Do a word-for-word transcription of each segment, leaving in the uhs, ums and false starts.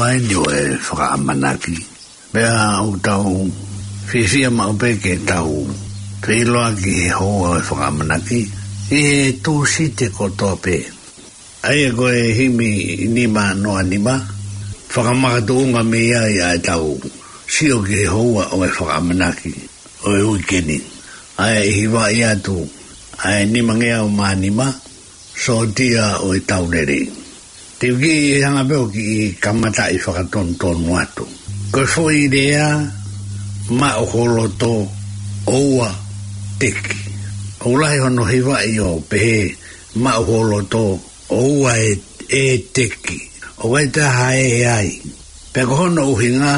ʻa eni ʻo e fakaʻamanaki. Pea ʻoku tau fiefia maʻu pē ke tau feʻiloaki he houa ʻo e fakaʻamanaki ʻi he Tūsite kotoa pē. ʻA ia ko e himi nima noa nima, fakamakatuʻunga mei ai ʻa ʻetau sio ki he houa ʻo e fakaʻamanaki ʻo e uike ni. ʻA e hivaʻi atu, ʻa e nimangeau mā nima, Sōtia ʻo e Tau Lelei. Te u kiʻi hanga pē ʻo kiʻi kamataʻi fakatonutonu atu. Ko e foʻi lea, maʻu ho loto, ʻoua teki. ʻOku lahi hono hivaʻi ʻo pehē, maʻu ho loto, ʻoua ʻe, ʻe teki. ʻOku ʻikai toe ha ē ai. Pea ko hono ʻuhinga,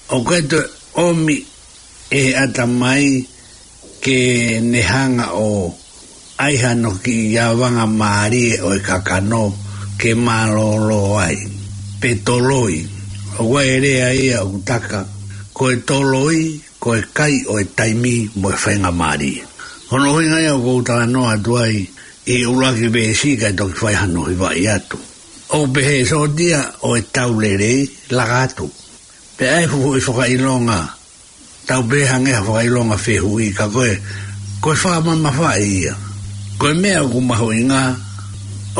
ʻoku ʻikai toe ʻomi ʻe he ʻatamai ke ne hanga ʻo ʻai hano kiʻi avanga mālie ʻo e kakano ke mālōlō ai. Pe toloi. ʻOku ʻi ai e lea ia ʻoku taka, ko e toloi, ko e kai ʻo e taimi mo e faingamālie. Hono ʻuhinga ia ʻoku ou talanoa atu ai ʻi he ʻuluaki veesi kae toki fai hano hivaʻi atu. ʻOku pehē, Sōtia ʻo e Tau Lelei, laka atu. Pea ʻai fuʻu fakaʻilonga, tau pehē hangē ha fakaʻilonga fehuʻi ka ko e, ko e fakamamafaʻi ia. Ko e meʻa ʻoku mahuʻinga,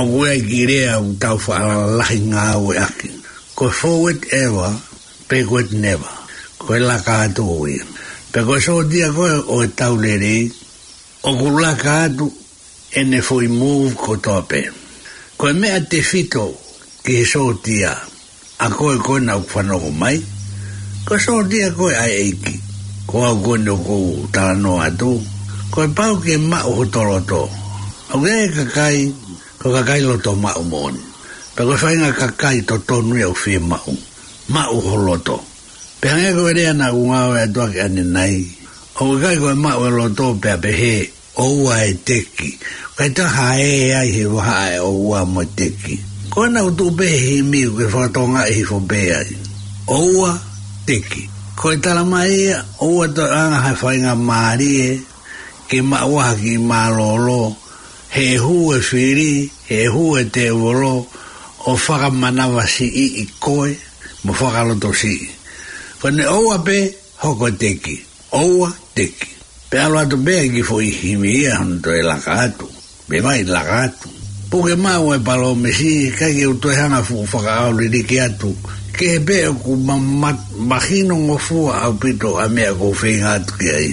ʻoku ʻi ai e kiʻi lea ʻoku tau fakalalahi ngāueʻaki. Ko e forward ever, backward never. Ko e laka atu ia. Pea ko e sōtia ko ē ʻo e Tau Lelei, ʻoku laka atu ʻene foʻi move kotoa pē. Ko e meʻa tefito ki he sōtia, ʻa koe ko ena ʻoku fanongo mai, ko e sōtia koe ʻa e ʻEiki. Ko au ko eni ʻoku ou talanoa atu, ko e pau ke maʻu hoto loto. ʻOku ʻi ai e kakai, ko e kakai loto maʻu moʻoni. Pea ko e faʻahinga kakai totonu ia ʻoku fiemaʻu. Maʻu ho loto. Pea hangē ko e lea naʻa ku ngāueʻaki atu ʻanenai, ʻoku ʻikai ko e maʻu e loto pea pehē, ʻoua ʻe teki. ʻIkai toe ha ē ai he vahaʻa e ʻoua mo e teki. Ko ena ʻoku tuʻu pē he himi ʻoku ke fakatokangaʻi hifo pē ai. ʻOua teki. Ko e talamai ia, ʻoua toe ʻoange ha faingamālie ke maʻu ha kiʻi mālōlō, he hū e fili, he hū e tēvolo, ʻo fakamanavasiʻi koe, mo fakalotosiʻi. Ko ʻene ʻoua pē, hoko teki. ʻOua teki. Pea ʻalu atu pē ki he foʻi himi ia hono toe laka atu. Pea mai laka atu. Puke maʻu e palōmesi, ʻikai ke u toe hanga fuʻu fakaʻauliliki atu. Kehe pē ʻoku ma-, ma-, mahino ngofua ʻaupito ʻa e meʻa ʻoku ou feinga atu ki ai.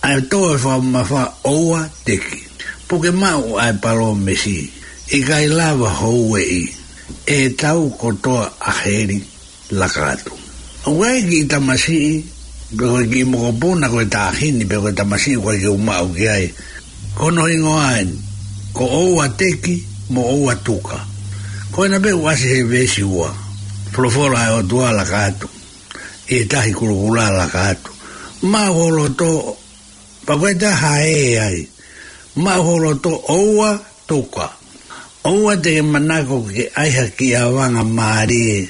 ʻA e tō e fakamamafa ʻoua teki. Puke maʻu ʻa e palōmesi. ʻIkai lava houeʻi. ʻE tau kotoa ʻa heli. Laka atu. ʻOku ʻi ai e kiʻi tamasiʻi, pe ko e kiʻi mokopuna ko e taʻahine, pe ko e tamasiʻi ʻoku ʻikai ke u maʻu ki ai. Ko hono hingoa eni, ko ʻoua teki, mo ʻoua tuka. Ko ena pē ʻoku ʻasi he veesi ua. Folofola ʻa e ʻOtua laka atu. ʻI he tahi kulokula laka atu. Maʻu ho loto, pea ʻikai toe ha ē ai. Maʻu ho loto ʻoua tuka. ʻOua te ke manako ke ʻai ha kiʻi avanga mālie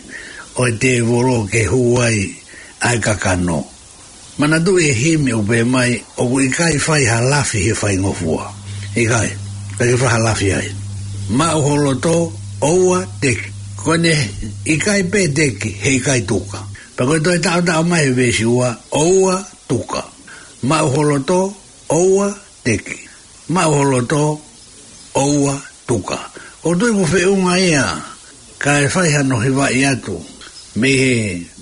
ʻo e tēvolo ke hū ai ʻa e kakano. Manatuʻi e himi ʻoku pehē mai, ʻoku ʻikai fai ha lafi he faingofua. ʻIkai, ʻikai ke fai ha lafi ai. Maʻu ho loto, ʻoua teki. Ko ʻene ʻikai pē teki, he ʻikai tuka. Pea ko e toe taʻotaʻo mai he veesi ua, ʻoua tuka. Maʻu ho loto, ʻoua teki. Maʻu ho loto, ʻoua tuka. ʻOku ou tui ʻoku feʻunga ia, kae fai hano hivaʻi atu. Mei he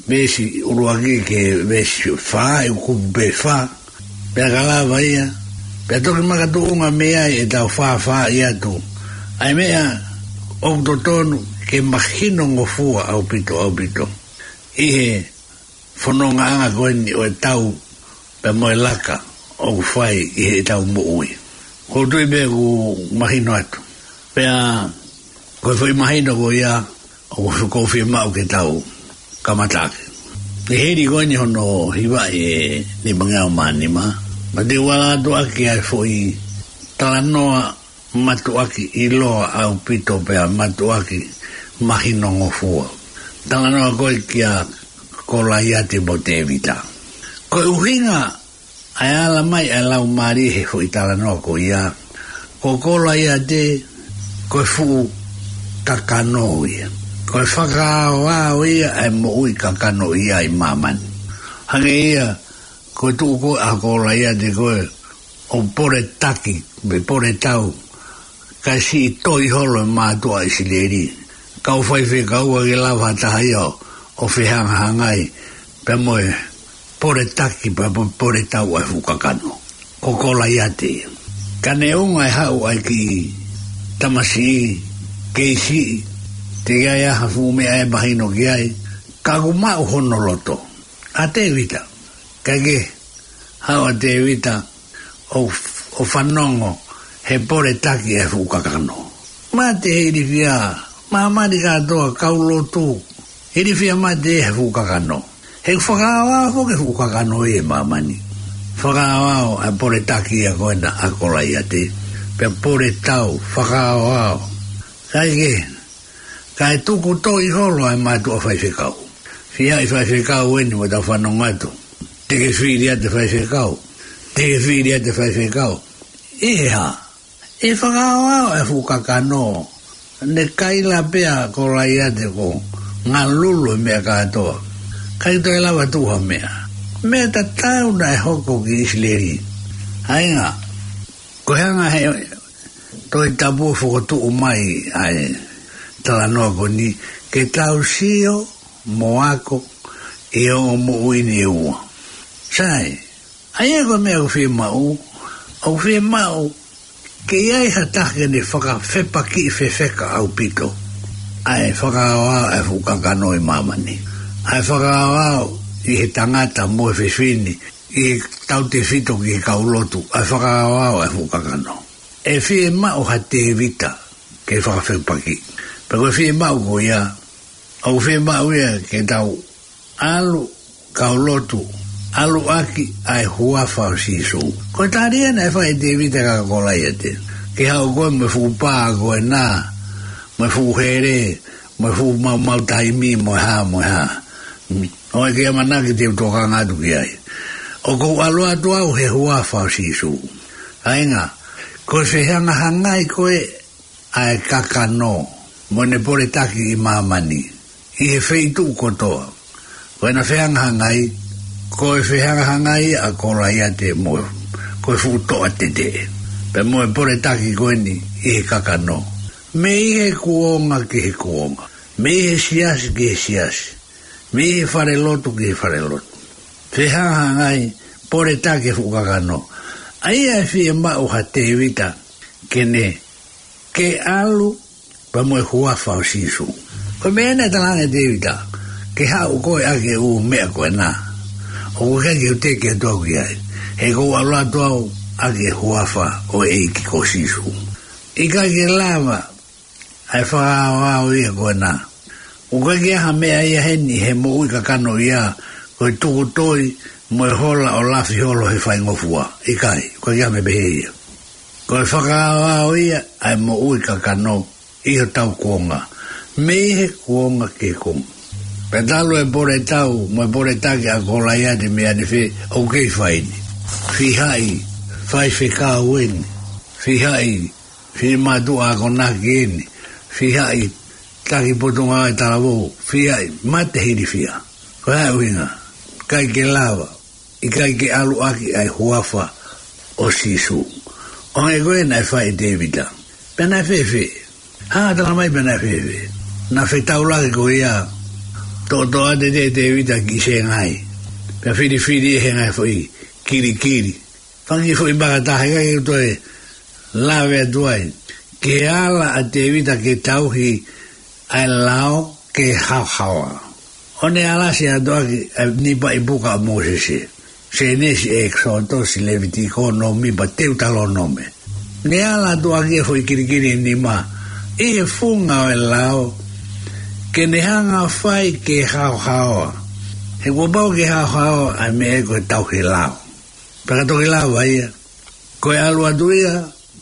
veesi ʻuluaki ki he veesi fā, ʻi he kupu pē fā. Pea ka lava ia, pea toki makatuʻunga mei ai ʻetau fāfāʻi atu. ʻA e meʻa ʻoku totonu ke mahino ngofua ʻaupito, ʻaupito. ʻI he fonongaʻanga ko eni ʻo e tau pea mo e laka ʻoku fai ʻi heʻetau moʻui. ʻOku ou tui pē ʻoku mahino atu. Pea ko e foʻi mahino ko ia ʻoku ou fiemaʻu ke tau kamataʻaki. ʻI he hili ko eni hono hivaʻi e nimangeau mā nima, ma te u ala atu ʻaki ʻa e foʻi talanoa mātuʻaki ʻiloa ʻaupito pea mātuʻaki mahino ngofua. Talanoa ko ē kia Kolaiate mo Tēvita. Ko e ʻuhinga ʻa e ala mai ʻa e laumālie he foʻi talanoa ko ia, ko Kolaiate ko e fuʻu kakano ia. Ko e fakaaoao ia ʻa e moʻui kakano ia ʻi māmani. Hangē ia ko e tuʻu ko ē ʻa Kolaiate ko ē ʻo poletaki, pe poletau, kae siʻi toi holo e mātuʻa ʻIsileli. Kau faifekau ʻikai ke lava ha taha ia ʻo fehangahangai pea mo e poletaki pea mo e poletau ʻa e fuʻu kakano. Ko Kolaiate ia. Ka neongo e haʻu ʻa e kiʻi tamasiʻi kei siʻi, teʻeki ai ha fuʻu meʻa ʻe mahino ki ai, ka ʻoku maʻu hono loto ʻa Tēvita. Kae kehe, haʻu ʻa Tēvita ʻo, ʻo fanongo he poletaki ʻa e fuʻu kakano. Mate he ilifia, māmani kātoa, kau lotu, ilifia mate he fuʻu kakano. He fakaaoao foki e fuʻu kakano ʻi he māmani. Fakaaoao ʻa e poletaki ia ko ena ʻa Kolaiate, pea poletau, fakaaoao. Kae kehe, kae tuku toi holo ʻa e mātuʻa faifekau. Fiha ʻi faifekau eni mo tau fanongo atu. Te ke fili ʻa e faifekau. Te ke fili ʻa e faifekau. ʻI he hā? ʻI he fakaaoao ʻa e fuʻu kakano. Ne kaila pē ʻa Kolaiate ko e ngalulu e meʻa kātoa. ʻIkai toe lava tuʻu ha meʻa. Meʻa tatau naʻe hoko ki ʻIsileli. ʻA ia, ko e hanga he Tohi Tapu ʻo fokotuʻu mai ʻa e talanoa ko eni ke tau sio mo ako ʻi he ongo moʻui ni ʻe ua. Sai, ʻa ia ko e meʻa ʻoku fiemaʻu, ʻoku fiemaʻu ke ʻi ai ha taha ke ne fakafepakiʻi fefeka ʻaupito ʻa e fakaaoao ʻa e fuʻu kakano ʻi māmani. ʻA e fakaaoao ʻi he tangata mo e fefine, ʻi he tautefito ki he kau lotu, ʻa e fakaaoao ʻa e fuʻu kakano. ʻE fiemaʻu ha Tēvita ke fakafepakiʻi. Pea ko e fiemaʻu ko ia, ʻoku fiemaʻu ia ke tau ʻalu, kau lotu, ʻalu ʻaki ʻa e huafa ʻo Sīsū. Ko e tali ia naʻe fai ʻe Tēvita kia Kolaiate. Ke haʻu koe mo e fuʻu pā ko ena, mo e fuʻu hele, mo e fuʻu maumau taimi, mo e hā, mo e hā. ʻOua ʻe ke ʻamanaki te u tokanga atu ki ai. ʻOku ou ʻalu atu au he huafa ʻo Sīsū. ʻA ia, ko e fehangahangai ko ē ʻa e kakano mo ʻene poletaki ʻi māmani, ʻi he feituʻu kotoa. Ko ʻena fehangahangai, ko e fehangahangai ʻa Kolaiate mo, ko e fuʻu toʻa teteʻe. Pea mo e poletaki ko eni ʻi he kakano. Mei he kuonga ki he kuonga. Mei he siasi ki he siasi. Mei he falelotu ki he falelotu. Fehangahangai, poletaki e fuʻu kakano. ʻA ia ʻe fiemaʻu ha Tēvita ke ne ke ʻalu pea mo e huafa ʻo Sīsū. Ko e meʻa naʻe talaange ʻe Tēvita, ke haʻu koe ʻaki e ʻū meʻa ko ena. ʻOku ʻikai ke u teke atu au ki ai. He ʻoku ou ʻalu atu au ʻaki e huafa ʻo e ʻEiki ko Sīsū. ʻIkai ke lava ʻa e fakaaoao ia ko ena. ʻOku ʻikai ke ʻi ai ha meʻa ia heni he moʻui kakano ia, ko e tuku toi mo e hola ʻo lafi holo he faingofua. ʻIkai, ʻoku ʻikai ke ʻi ai ha meʻa pehē ia. Ko e fakaaoao ia ʻa e moʻui kakano ʻi hotau kuonga. Mei he kuonga ki he kuonga. Pea talu e poletau mo e poletaki ʻa Kolaiate mei ʻanefē, ʻoku kei fai ni. Fiha ʻi faifekau eni. Fiha ʻi finemātuʻa akonaki eni, fiha ʻi taki potungāue talavou, fiha ʻi mate he ilifia. Ko e hā e ʻuhinga? ʻIkai ke lava, ʻikai ke ʻalu ʻaki ʻa e huafa ʻo Sīsū. ʻO hangē ko ē naʻe fai ʻe Tēvita. Pea naʻe fēfē? Hanga ʻo tala mai pea naʻe fēfē? Naʻe fetaulaki ko ia, toʻotoʻo atu ʻe Tēvita ki Sēngai. Pea filifili ʻe he ngaahi foʻi kilikili. Fanga kiʻi foʻi maka taha, ʻikai ke u toe lave atu ai. Ke ala ʻa Tēvita ke tauhi ʻa e lao ke haohaoa. ʻO ne alasi atu ʻaki ʻa e nipa ʻi puka ʻa Mōsese. Sēnesi, ʻEkisoto, Levitiko, Nōmipa, Teutalōnome. Ne ala atu ʻaki e foʻi kilikili ʻe nima ʻi he funga ʻo e lao ke ne hanga ʻo fai ke haohaoa. He kuo pau ke haohaoa ʻa e meʻa ko e tauhi lao. Pea ka toki lava ia, ko e ʻalu atu ia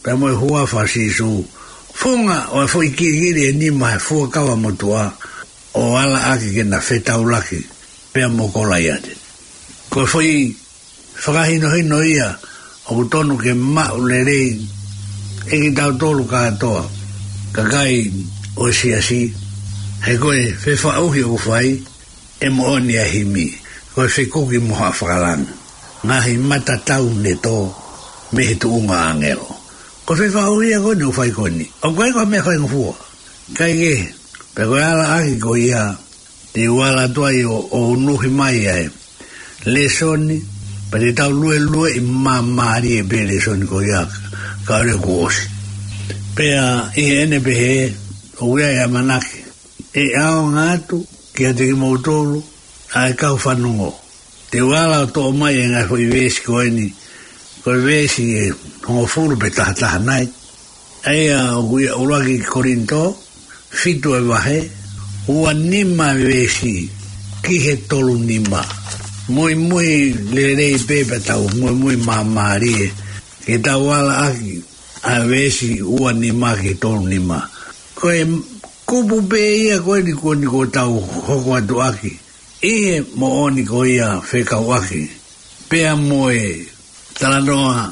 pea mo e huafa ʻo Sīsū, funga ʻo e foʻi kilikili ʻe nima he fuakava motuʻa, ʻo ala ʻaki ke na fetaulaki pea mo Kolaiate. Ko e foʻi fakahinohino ia ʻoku tonu ke maʻu lelei ʻe kitautolu kātoa, kakai ʻo e siasi, He ko e fefaʻuhi ʻoku fai, ʻe moʻoni ʻa e himi, ko e fekuki mo haʻa fakalangi, ngaahi mata tau ne tō mei he tuʻunga ʻāngelo. Ko e fefaʻuhi ia ko eni ʻoku fai ko eni. ʻOku ʻikai ko ha meʻa faingofua. Kaikehe, pea ko e ala ʻaki ko ia, te u ala atu ai ʻo, ʻo unuhi mai ʻa e lēsoni, pea te tau luelueʻi māmālie pē lēsoni ko ia, kae ʻoua kuo ʻosi. Pea ʻi heʻene pehē, ʻoku ʻi ai ʻa e ʻamanaki ʻe ʻaonga atu kiate kimoutolu ʻa e kau fanongo. Te u ala ʻo toʻo mai e ngaahi foʻi veesi ko eni, ko e veesi ʻe hongofulu pe taha taha nai. ʻA ia ʻoku ʻi he ʻuluaki Kolinitō, fitu ʻa e vahe, ua nima veesi ki he tolu nima. Muimui lelei pē pea tau muimui māmālie, ke tau ala ʻaki ʻa e veesi ua nima ki he tolu nima. Ko e kupu pē ia ko eni ko eni ʻoku tau hoko atu ʻaki, ʻi he moʻoni ko ia fekauʻaki pea mo e talanoa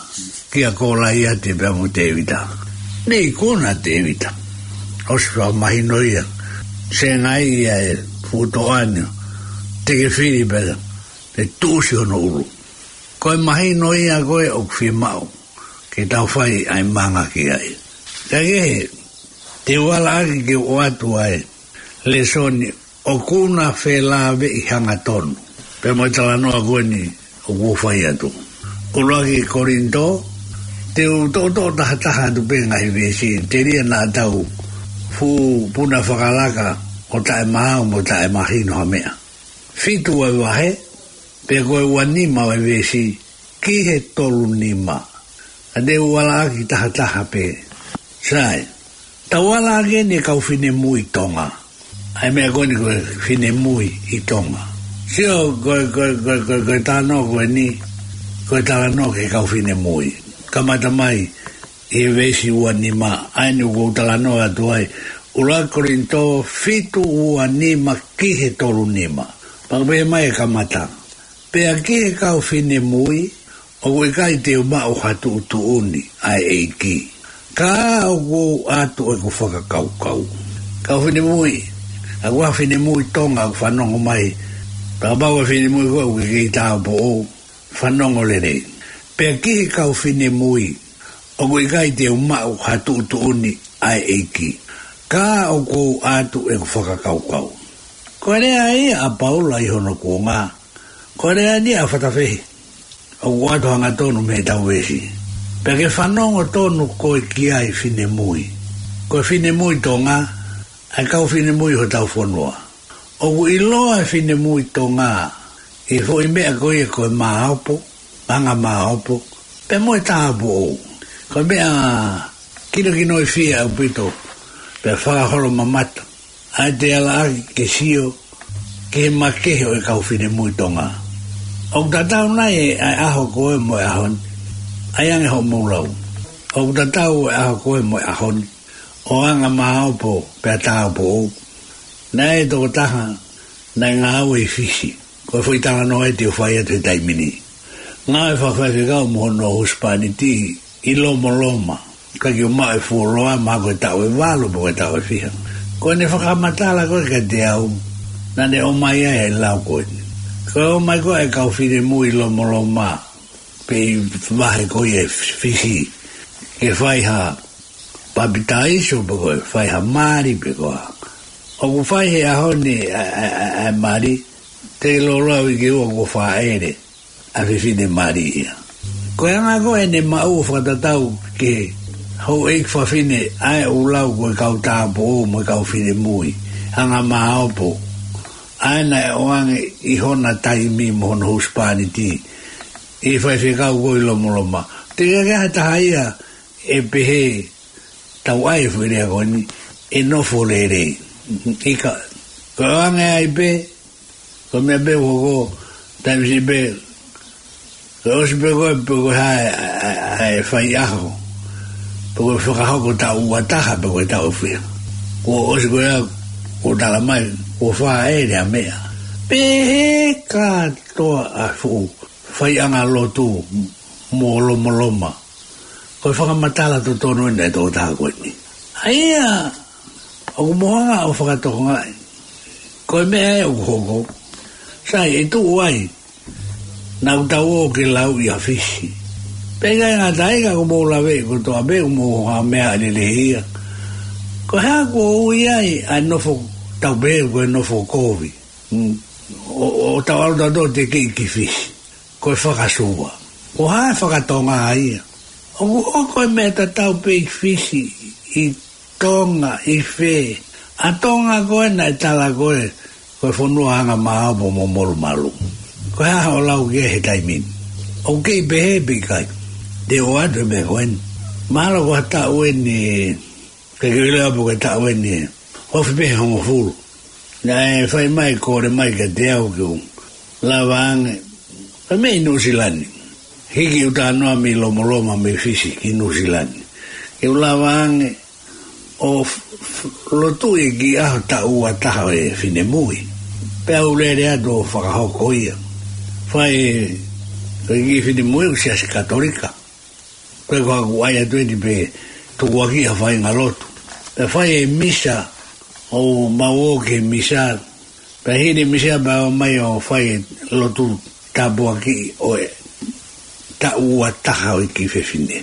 kia Kolaiate pea mo Tēvita. Ne ikuna ʻa Tēvita, ʻosi fakamahino ia, sengai ia e fuʻu toʻa ni, te ke fili pea te tuʻusi hono ʻulu. Ko e mahino ia ko ē ʻoku fiemaʻu ke tau fai ʻa e manga ki ai. Kaikehe, te u ala ʻaki ke u ʻoatu ʻa e lēsoni ʻoku na felāveʻi hangatonu pea mo e talanoa ko eni ʻoku ou fai atu. ʻUluaki Kolinitō, te u toʻotoʻo taha taha atu pē ngaahi veesi, telia naʻa tau fuʻu puna fakalaka ʻo taʻemaau mo taʻemahino ha meʻa. Fitu ʻa e vahe, pea ko e ua nima ʻa e veesi ki he tolu nima. ʻA te u ala ʻaki taha taha pē. Sai, tau ala ʻaki eni e kau finemui Tonga. ʻA e meʻa ko eni ko e finemui ʻi Tonga. Sio, ko e, ko e, ko e, ko e, ko e talanoa ko eni, ko e talanoa ki he kau finemui. Kamata mai ʻi he veesi ua nima, ʻa eni ʻoku ou talanoa atu ai, ʻuluaki Kolinitō fitu ua nima ki he tolu nima. Pea ʻoku pehē mai e kamata: Pea ki he kau finemui, ʻoku ʻikai te u maʻu ha tuʻutuʻuni ʻa e ʻEiki, ka ʻoku ou ʻatu ʻeku fakakaukau. Kau finemui, ʻa e kau finemui Tonga ʻoku fanongo mai, pea kapau ko e finemui ko ē ʻoku kei tāupoʻou, fanongo lelei. Pea ki he kau finemui, ʻoku ʻikai te u maʻu ha tuʻutuʻuni ʻa e ʻEiki, ka ʻoku ou ʻatu ʻeku fakakaukau. Ko e lea ia ʻa Paula ʻi hono kuonga, ko e lea ni ʻa e fatafehi ʻoku ʻoatu hangatonu mei heʻetau veesi. Pea ke fanongo tonu koe ki ai, finemui. Ko e finemui Tonga, ʻa e kau finemui hotau fonua. ʻOku ʻiloa e finemui Tonga ʻi he foʻi meʻa ko ia ko e māopo, anga māopo, pea mo e tāupoʻou. Ko e meʻa kinokinoifia ʻaupito, pea fakaholomamata, ʻa e te ala ʻaki ke sio ki he makehe ʻo e kau finemui Tonga. ʻOku tatau nai ʻa e ʻaho ko ē mo e ʻaho ni, ʻai ange hoʻomou lau. ʻOku tatau e ʻaho ko ē mo e ʻaho ni, ʻo anga māopo pea tāupoʻou. Naʻe tokotaha naʻe ngāue ʻi Fisi, ko e foʻi talanoa ē te u fai atu he taimi ni. Ngāue fakafaifekau mo hono husepāniti ʻi Lomoloma, ka ʻikai ke u maʻu e fuoloa, mahalo ko e taʻu ʻe valu pe ko e taʻu ʻe fiha. Ko ʻene fakamatala ko ē kiate au, naʻa ne ʻomai ai e lau ko eni. Ko e ʻomai ko ē e kau finemui ʻi Lomoloma, pe ʻi he vahe ko ia ʻi Fisi, ke fai ha papitaiso pe ko e fai ha mali pe ko e hā. ʻOku fai he ʻaho ni ʻa e, ʻa e, ʻa e, ʻa e mali, te lolo au ʻi ke ua kuo fāʻele ʻa e fefine mali ia. Ko e anga ko ē ʻene maʻu ʻo fakatatau ki he houʻeiki fafine ʻa ē ʻoku lau ko e kau tāupoʻou mo e kau finemui anga māopo, ʻa ē naʻe ʻoange ʻi hona taimi mo hono husepāniti ʻi he faifekau ko ē ʻi Lomoloma. Teʻeki ai ha taha ia ʻe pehē, tau ʻai e foʻi lea ko eni, ʻe nofo lelei. ʻIkai, ko e ʻoange ai pē, ko e meʻa pē ʻoku hoko, taimi siʻi pē, ko e ʻosi pē ko ē, pe ko e hā e, e, e, e faiʻaho, pe ko e fakahoko taʻu ua taha, pe ko e taʻu ʻe fiha, kuo ʻosi ko ia, kuo tala mai kuo fāʻele ʻa e meʻa. Pehē kātoa ʻa e fuʻu faiʻanga lotu mo Lomoloma. Ko e fakamatala totonu eni ʻa e tokotaha ko eni. ʻA ia ʻoku mou hanga ʻo fakatokangaʻi Ko e meʻa ē ʻoku hoko, sai, ʻe tuʻu ai, naʻa tau ō ke lauʻi ʻa Fisi. Pea ʻikai ngata ai ka ʻoku mou laveʻi kotoa pē, ʻoku mou ha meʻa lelei ia. Ko e hā kuo ui ai ʻa e nofo, tau pehē ko e nofo kovi. Mm. ʻO, ʻo tau ʻalu tautolu ʻo tekeʻi ki Fisi. Ko e fakasuva. Ko e hā e fakatonga ia. ʻOku, ʻoku ʻi ai e meʻa tatau pē ʻi Fisi, ʻi Tonga, ʻi fē. ʻA Tonga ko ē naʻe tala ko ē, ko e fonua anga māopo mo molumalu. Ko e hā hoʻo lau ki ai he taimi ni. ʻOku kei pehē pē ʻikai. Te u ʻoatu e meʻa ko eni. Mahalo ko ha taʻu eni, ke ke lea pē ko e taʻu eni, ofi pē he hongofulu. Naʻe fai mai, kole mai kiate au ke u lava ange. Ka mei Nuʻu Sila ni. Hiki ʻeku talanoa mei Lomoloma mei Fisi ki Nuʻu Sila ni. Ke u lava ange ʻo f-, f-, lotuʻi e kiʻi ʻaho taʻu ua taha ʻo e finemui. Pea u lele atu ʻo fakahoko ia. Fai, ko e kiʻi finemui ʻoku Siasi Katolika. Ko e ko ʻeku ʻai atu eni pē tukuakiʻi ha faʻahinga lotu. Pea fai e misa, ʻo mau ō ki he misa. Pea hili e misa pea ō mai ʻo fai e lotu tāpuakiʻi ʻo e taʻu ua taha ʻo e kiʻi fefine.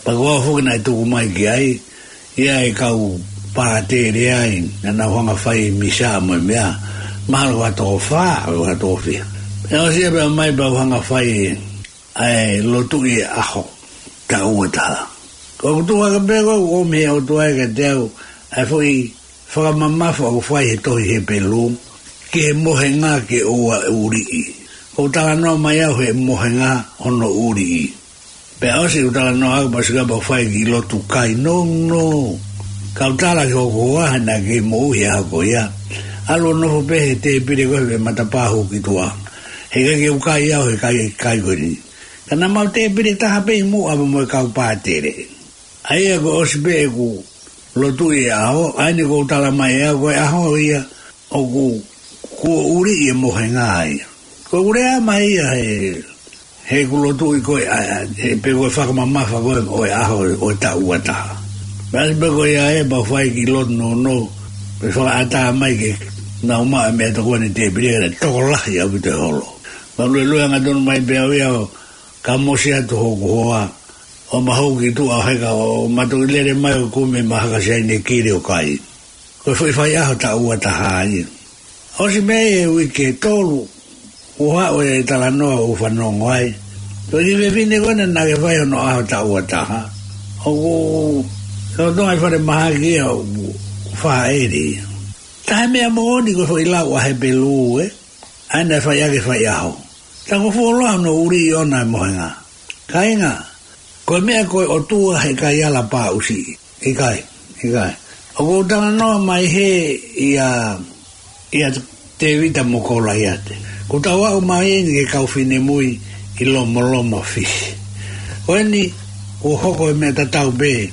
Pea ko au foki naʻe tuku mai ki ai, ʻi ai e kau pātele ai, naʻa nau hanga fai e misa mo e meʻa, mahalo ko ha toko fā, ʻo ha toko fiha. Pea ʻosi ia pea ō mai pea u hanga fai e ʻa e lotuʻi e ʻaho taʻu ua taha. Ko ʻeku tuʻu hake pē ko ʻeku ʻomi he ʻOtua ia kiate au ʻa e foʻi fakamamafa ʻoku fai he tohi Hepelū, ki he mohenga ke ʻoua ʻuliʻi. ʻOku talanoa mai au he mohenga hono ʻuliʻi. Pea ʻosi ʻeku talanoa au pea sika pea u fai e kiʻi lotu kai nounou. Kau tala ki hoku hoa he naʻa ke moʻui he ʻaho ko ia. ʻAlu ʻo nofo pē he tēpile ko ē he matapā hū ki tuʻa. He ʻikai ke u kai au he kai, kai ko eni. Ka naʻa mau tēpile taha pē ʻi muʻa mo e kau pātele. ʻA ia ko e ʻosi pē ʻeku lotuʻi e ʻaho, ʻa eni ʻoku tala mai ʻe au ko e ʻaho ia ʻoku, kuo ʻuliʻi e mohenga ia. Ko ʻeku lea mai ia he, he ʻeku lotuʻi ko ē, ʻa, ʻa, he pē ko e fakamamafa ko ē ʻo e ʻaho ʻo e taʻu ua taha. Pea ʻosi pē ko ia ē pea u fai e kiʻi lotu nounou, pea fakaʻatā mai ke nau maʻu e meʻatokoni tēpile, ka naʻe tokolahi ʻaupito e holo. Pea u luelue angatonu mai pē au ia ʻo kamosi atu hoku hoa, ʻo ma hū ki tuʻa he ka ʻo ma toki lele mai ʻo kumi ʻema haka siaine kili ʻo kai. Ko e foʻi faiʻaho taʻu ua taha ia. ʻOsi mei he uike ʻe tolu, ʻoku haʻu e talanoa ʻoku fanongo ai. Ko e kiʻi fefine ko ena naʻa ke fai hono ʻaho taʻu ua taha. ʻOku, ʻoku tō ai falemahaki ia ʻoku fāʻele ia. Taha e meʻa moʻoni ko e foʻi lau ʻa Hepelū ē. ʻA ena naʻe fai ʻaki e faiʻaho. Tā ko e fuoloa hono ʻuliʻi ʻona e mohenga. Kāinga, ko e meʻa ko e ʻOtua he ʻikai ala pāʻusiʻi. ʻIkai, ʻikai. ʻOku ou talanoa mai hē ʻia, ʻia Tēvita mo Kolaiate. Kuo tau aʻu mai eni ki he kau finemui ʻi Lomoloma Fisi. Ko eni, ʻoku hoko e meʻa tatau pē.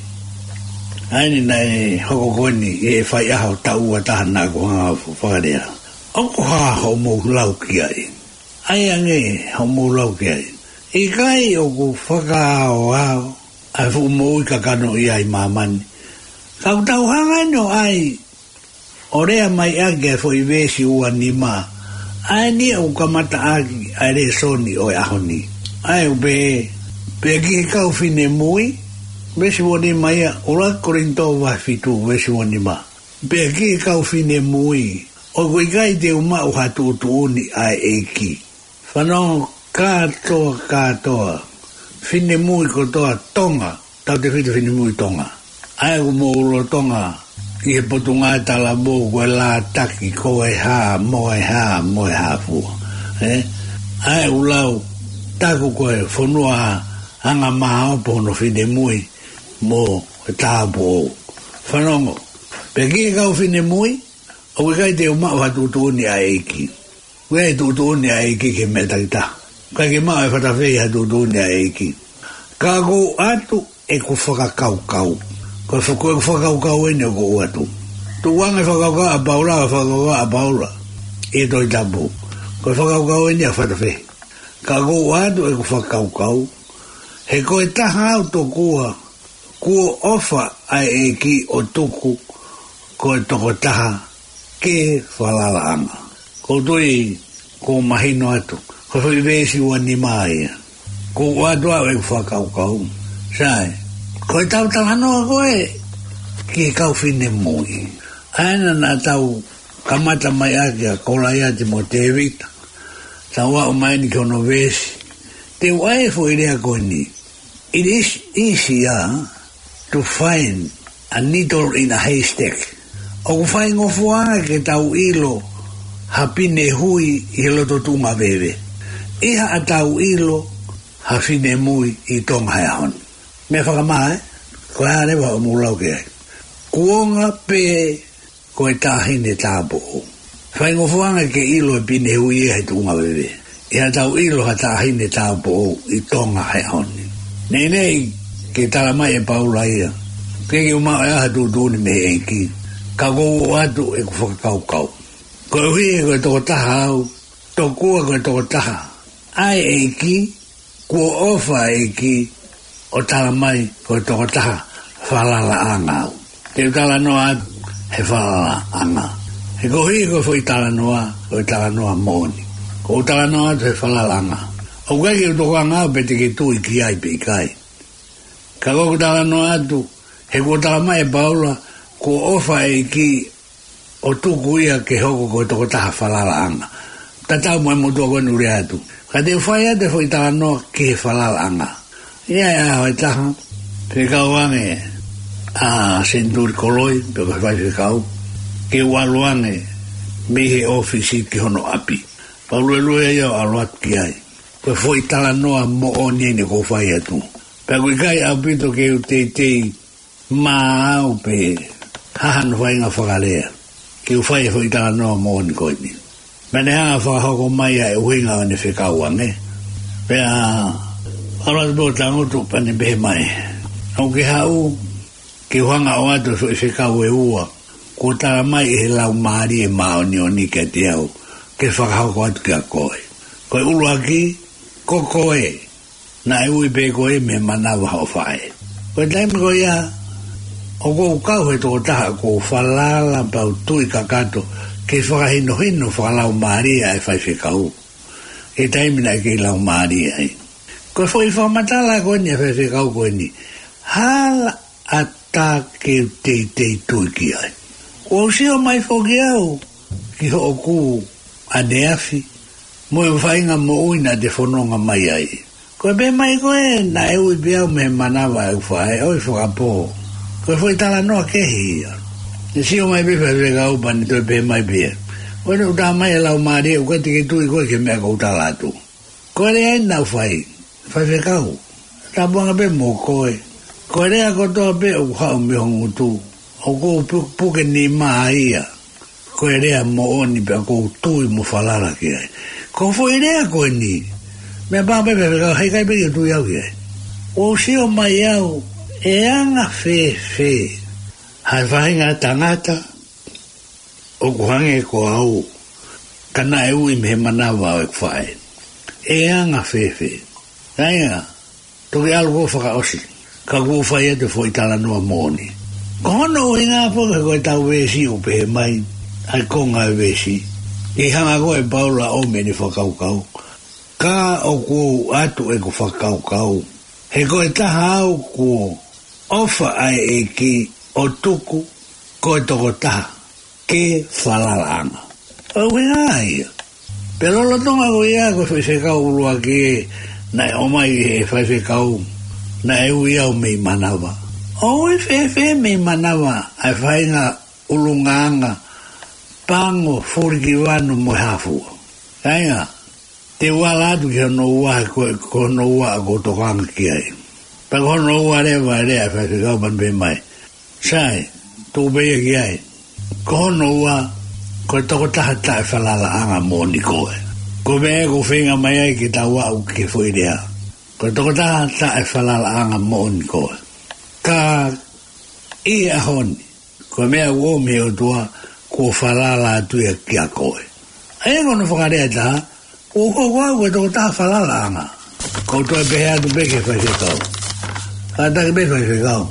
ʻA eni naʻe hoko ko eni ʻi he faiʻaho taʻu ua taha naʻa ku hanga fakalea. ʻOku hā hoʻomou lau ki ai. ʻAi ange hoʻomou lau ki ai. ʻIkai ʻoku fakaaoao ʻa e fuʻu moʻui kakano ia ʻi māmani. Ka ʻoku tau hanga eni ʻo ʻai ʻo lea mai ʻaki e foʻi veesi ua nima. ʻA eni ʻoku kamata ʻaki ʻa e lēsoni ʻo e ʻaho ni. ʻA e ʻoku pehē, pea ki he kau finemui, veesi ua nima ia, ʻuluaki Kolinitō vahe fitu, veesi ua nima. Pea ki he kau finemui, ʻoku ʻikai te u maʻu ha tuʻutuʻuni ʻa e ʻEiki. Fanongo kātoa, kātoa. Finemui kotoa Tonga, tautefito finemui Tonga. ʻA ia ʻoku mou lolotonga ʻi he Potungāue Talavou ko e lātaki ko e hā, mo e hā, mo e hā fua. Ē? ʻA ia ʻoku lau, taku ko e fonua anga māopo hono finemui mo e tāupoʻou. Fanongo, pea ki he kau finemui, ʻoku ʻikai te u maʻu ha tuʻutuʻuni ʻa e ʻEiki. ʻOku ʻi ai e tuʻutuʻuni ʻa e ʻEiki ki he meʻa takitaha. ʻIkai ke maʻu ʻe he fatafehi ha tuʻutuʻuni ʻa e ʻEiki. Ka ʻoku ou ʻoatu ʻeku fakakaukau. Ko e fa-, ko ʻeku fakakaukau eni ʻoku ou ʻoatu. Tukuange e fakakaukau ʻa Paula, ʻa e fakakaukau ʻa Paula ʻi he Tohi Tapu. Ko e fakakaukau eni ʻa e fatafehi. Ka ʻoku ou ʻoatu ʻeku fakakaukau. He ko e taha au tokua, kuo ʻofa ʻa e ʻEiki ʻo tuku ko e tokotaha ke falalaʻanga. Ko u tui, ko u mahino atu. Ko e foʻi veesi ua nima ia. Ko u ʻoatu ʻa e fakakaukau. Sai, ko e tau talanoa ko ē ki he kau finemui. ʻA ena naʻa tau kamata mai ʻaki ʻa Kolaiate mo Tēvita. Tau aʻu mai eni ki hono veesi. Te u ʻai e foʻi lea ko eni. It is easier to find a needle in a haystack. ʻOku faingofuanga ke tau ʻilo ha pine hui ʻi he loto tuʻunga veve. ʻI haʻatau ʻilo ha finemui ʻi Tonga he ʻaho ni. Meʻa fakamā, ē? Ko e hā leva hoʻomou lau ki ai? Kuonga pē ko e taʻahine tāupoʻou. Faingofuanga ke ʻilo e pine hui ia he tuʻunga veve. ʻI haʻatau ʻilo ha taʻahine tāupoʻou ʻi Tonga he ʻaho ni. Neʻineʻi ke tala mai ʻe Paula ia. ʻOku ʻikai ke u maʻu ʻe au ha tuʻutuʻuni mei he ʻEiki. Ka ko u ʻoatu ʻeku fakakaukau. Koeʻuhi he ko e tokotaha au, tokua ko e tokotaha ʻa e ʻEiki, kuo ʻofa ʻa e ʻEiki ʻo tala mai ko e tokotaha falalaʻanga au. Te u talanoa atu he falalaʻanga. He koeʻuhi ko e foʻi talanoa, ko e talanoa moʻoni. Ko u talanoa atu he falalaʻanga. ʻOku ʻikai ke u tokanga au pe te ke tui ki ai pe ʻikai. Ka ko u talanoa atu, he kuo tala mai ʻe Paula, kuo ʻofa ʻa e ʻEiki ʻo tuku ia ke hoko ko e tokotaha falalaʻanga. Tatau mo e motuʻa ko eni ʻoku lea atu. Ka te u fai atu e foʻi talanoa ki he falalaʻanga. ʻI ai e ʻaho ʻe taha, fekau ange ʻa Senituli Koloi, pe ko e faifekau, ke u ʻalu ange mei he ʻōfisi ki hono ʻapi. Pea u luelue ai ʻo ʻalu atu ki ai. Ko e foʻi talanoa moʻoni eni ʻoku ou fai atu. Pea ʻoku ʻikai ʻaupito ke u teitei maau pe hā hano faʻahinga fakalea ke u fai e foʻi talanoa moʻoni ko eni. Pea ne hanga ʻo fakahoko mai ʻa e ʻuhinga ʻo ʻene fekau ange. Pea ʻalu atu pē ʻo tangutu pea ne pehē mai, ʻoku ke haʻu ke u hanga ʻo ʻoatu e foʻi fekau ʻe ua kuo tala mai ʻe he Laumālie Māʻoniʻoni kiate au ke fakahoko atu kiate koe. Ko e ʻuluaki, ko koe naʻe ui pē koe mei he manava hoʻo faʻē. Ko e taimi ko ia, ʻoku ou kau he tokotaha ʻoku ou falala pea u tui kakato ke fakahinohino fakalaumālie ʻa e faifekau. He taimi naʻe kei laumālie ai. Ko e foʻi fakamatala ko eni ʻa e faifekau ko eni. Hala ʻatā ke u teitei tui ki ai. Kuo u sio mai foki au ki hoʻoku ʻaneafi mo e faʻahinga moʻui naʻa te fononga mai ai. Ko e pehē mai ko ē naʻe ui pē au mei he manava ʻeku faʻē, ʻoi fakapō. Ko e foʻi talanoa kehe ia. Ne sio mai pē faifekau pea ne toe pehē mai pē. Ko eni ʻoku tala mai ʻe he Laumālie ʻoku ʻikai te ke tui koe ki he meʻa ʻoku ou tala atu. Ko e lea eni naʻa ku fai, faifekau. Tāpuanga pē mo koe. Ko e lea kotoa pē ʻoku haʻu mei ho ngutu, ʻoku ou pu-, puke nima ia. Ko e lea moʻoni pea ʻoku ou tui mo falala ki ai. Ko e foʻi lea ko eni, meʻa pē faifekau, heʻikai pē ke u tui au ki ai. ʻOku ou sio mai au, ʻe anga fēfē ha faʻahinga tangata ʻoku hangē ko au, ka naʻe ui mei he manava ʻo ʻeku faʻē. ʻE anga fēfē? Kāinga, toki ʻalu ʻo fakaʻosi, ka ʻoku ou fai atu e foʻi talanoa moʻoni. Ko hono ʻuhinga foki ko e tau veesi ʻoku pehē mai, ʻa e konga e veesi. ʻI he hanga ko ē ʻe Paula ʻo ʻomai ʻene fakakaukau. Ka ʻoku ou ʻoatu ʻeku fakakaukau. He ko e taha au kuo ʻofa ʻa e ʻEiki ʻo tuku ko e tokotaha ke falalaʻanga. ʻO ʻuhinga ia. Pea lolotonga ko ia ko e foʻi fekau ʻuluaki ē naʻe ʻomai ʻe he faifekau naʻe ui au mei manava. ʻOku ui fēfē mei manava ʻa e faʻahinga ʻulungaanga pango, fulikivanu mo e hā fua? Kāinga, te u ala atu ki hono ua, ko, ko hono ua ʻoku ou tokanga ki ai. Pea ko hono ua leva e lea ʻa e faifekau pea ne pehē mai. Sai, tuku pē ia ki ai. Ko hono ua, ko e tokotaha taʻefalalaʻanga moʻoni koe. Ko e meʻa ʻoku ou feinga mai ai ke tau aʻu ki he foʻi lea. Ko e tokotaha taʻefalalaʻanga moʻoni koe. Ka ʻi he ʻaho ni, ko e meʻa ʻoku ʻomi ʻe he ʻOtua kuo falala atu ia kiate koe. ʻA ia ko hono fakalea ʻe taha, ʻoku ou hoko au ko e tokotaha falalaʻanga. Ko u toe pehē atu pē ki he faifekau. Kātaki pē faifekau.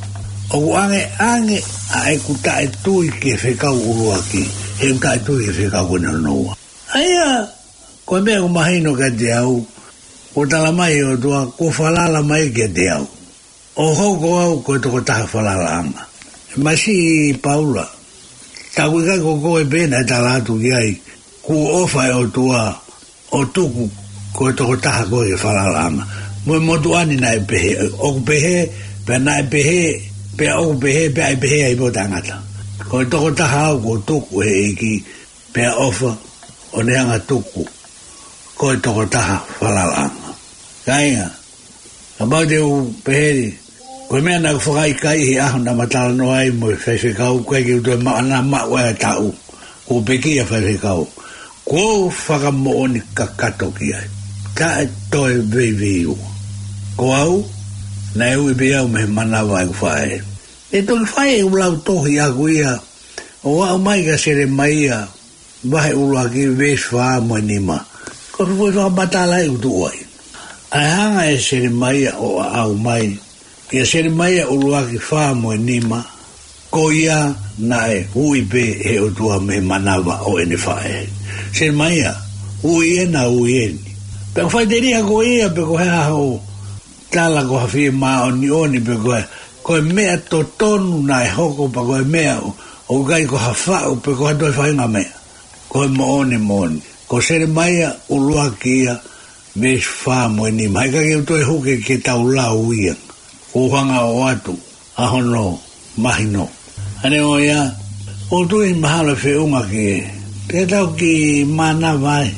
ʻOku ʻangeʻange ʻa ʻeku taʻetui ki he fekau ʻuluaki. he ʻoku taʻetui ki he fekau ko eni hono ua. ʻA ia, ko e meʻa ʻoku mahino kiate au, ʻoku tala mai ʻe he ʻOtua, kuo falala mai kiate au. ʻO hoko au ko e tokotaha falalaʻanga. Masiʻi Paula, tā ʻoku ʻikai ko koe pē naʻe tala atu ki ai, kuo ʻofa ʻa e ʻOtua ʻo tuku ko e tokotaha ko e falalaʻanga. Mo e motuʻa ni naʻe pehē, ʻoku pehē, pea naʻe pehē, pea ʻoku pehē, pea ʻe pehē ai pē ʻo taʻengata. Ko e tokotaha au kuo tuku ʻe he ʻEiki, pea ʻofa ʻo ne hanga tuku ko e tokotaha falalaʻanga. Kāinga, kapau te u pehē, ko e meʻa naʻa ku fakaʻikaiʻi he ʻaho naʻa ma talanoa ai mo e faifekau, ko e ke u toe maʻana maʻu e taʻu, kuo pekia faifekau. Kuo u fakamoʻoni kakato ki ai. Taʻe toe veiveiua. Ko au, naʻe ui pē au mei he manava ʻeku faʻē. ʻE toki fai e ʻū lau tohi ʻaku ia, ʻo aʻu mai kia Selemaia, vahe ʻuluaki veesi fā mo e nima. Ko e foʻi fakamatala ʻoku tuʻu ai. ʻA e hanga ʻe Selemaia ʻo aʻau mai, kia Selemaia ʻuluaki fā mo e nima, ko ia naʻe ui pē ʻe he ʻOtua mei he manava ʻo ʻene faʻē. Selemaia, ui ena, ui eni. Pea ʻoku faʻiteliha ko ia, pe ko e hā hoʻo tala ko ha fiemāʻoniʻoni pe ko e, ko e meʻa totonu naʻe hoko pea ko e meʻa ʻo, ʻoku ʻikai ko ha faʻu pe ko ha toe faʻahinga meʻa. Ko e moʻoni moʻoni. Ko Selemaia ʻuluaki ia, veesi fā mo e nima. He ka ke u toe huke ke tau lau ia. Kuo u hanga ʻo ʻoatu ʻa hono mahino. ʻA ia ko ia, ʻoku ou tui mahalo feʻunga ke, ke tau kiʻi manava ai.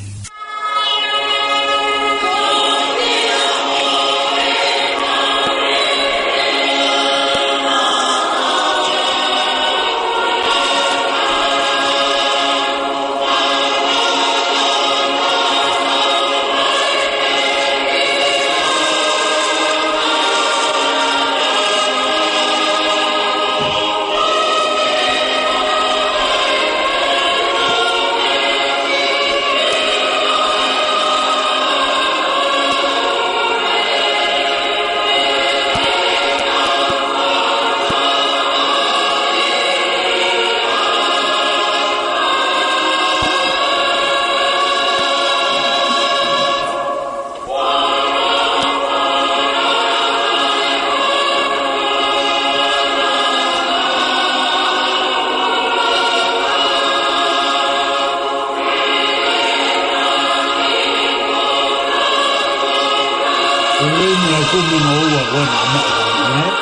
Ko e lēni ʻa e kumi mo ua ko ena ʻa maʻu ko ena, ē?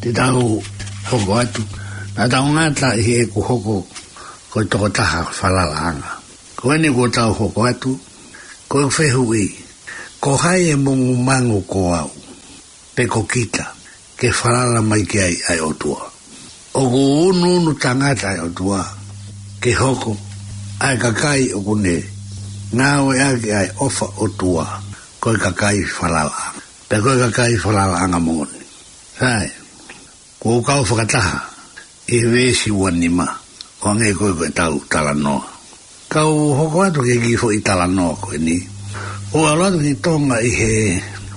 Te tau hoko atu, naʻa tau ngata ʻi heʻeku hoko ko e tokotaha falalaʻanga. Ko eni kuo tau hoko atu, ko e fehuʻi, ko hai e mongumangu, ko au pe ko kita, ke falala mai ki ai ʻa e ʻOtua? ʻOku unuunu tangata ʻa e ʻOtua ke hoko ʻa e kakai ʻoku ne ngāueʻaki ʻa e ʻofa ʻOtua ko e kakai falalaʻanga, pe ko e kakai falalaʻanga moʻoni. Sai, kuo u kau fakataha ʻi he veesi ua nima, ʻo hangē ko ē ko ʻetau talanoa. Kau hoko atu ki he kiʻi foʻi talanoa ko eni. ʻOku ʻalu atu ki Tonga ʻi he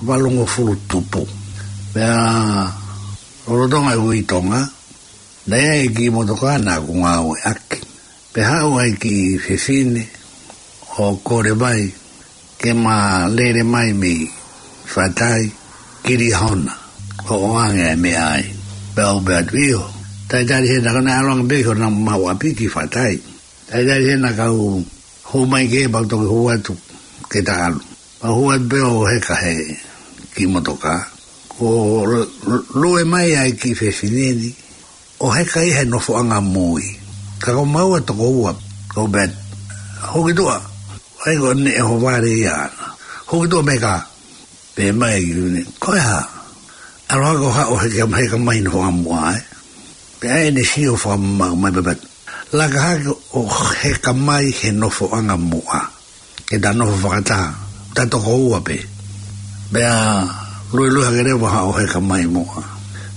valungofulu tupu. Pea lolotonga e ui Tonga, naʻe ʻi ai e kiʻi motokā naʻa ku ngāueʻaki. Pea haʻu ai e kiʻi fefine ʻo kole mai ke ma lele mai mei Faʻatai ki Liahona, ʻo ʻoange e meʻa ai. Pea u pehē atu, ʻio, talitali hena, ka naʻe ʻalu ange pē ki hona maʻu ʻapi ki Faʻatai. Talitali hena kau hū mai ki hē pea u toki hū atu ke ta ʻalu. Pea u hū atu pē ʻo heka he kiʻi motokā. Kuo lu-, lu-, lue mai ai e kiʻi fefine ni ʻo heka ia he nofoʻanga mui. Ka ko maua toko ua, ko Beth. Hū ki tuʻa. ʻAi ko eni e ʻohovale ia ʻana. Hū ki tuʻa mei he kā. Pehē mai e kiʻi fefine, ko e hā? ʻAlu hake ʻo haʻu ʻo heka, heka mai he nofoʻanga muʻa, ē? Pea ʻai ʻene sio fakamamaʻu mai pē Beth. Laka hake ʻo heka mai he nofoʻanga muʻa. Ke ta nofo fakataha, ta toko ua pē. Pea luelue hake leva ʻo haʻu ʻo heka mai muʻa.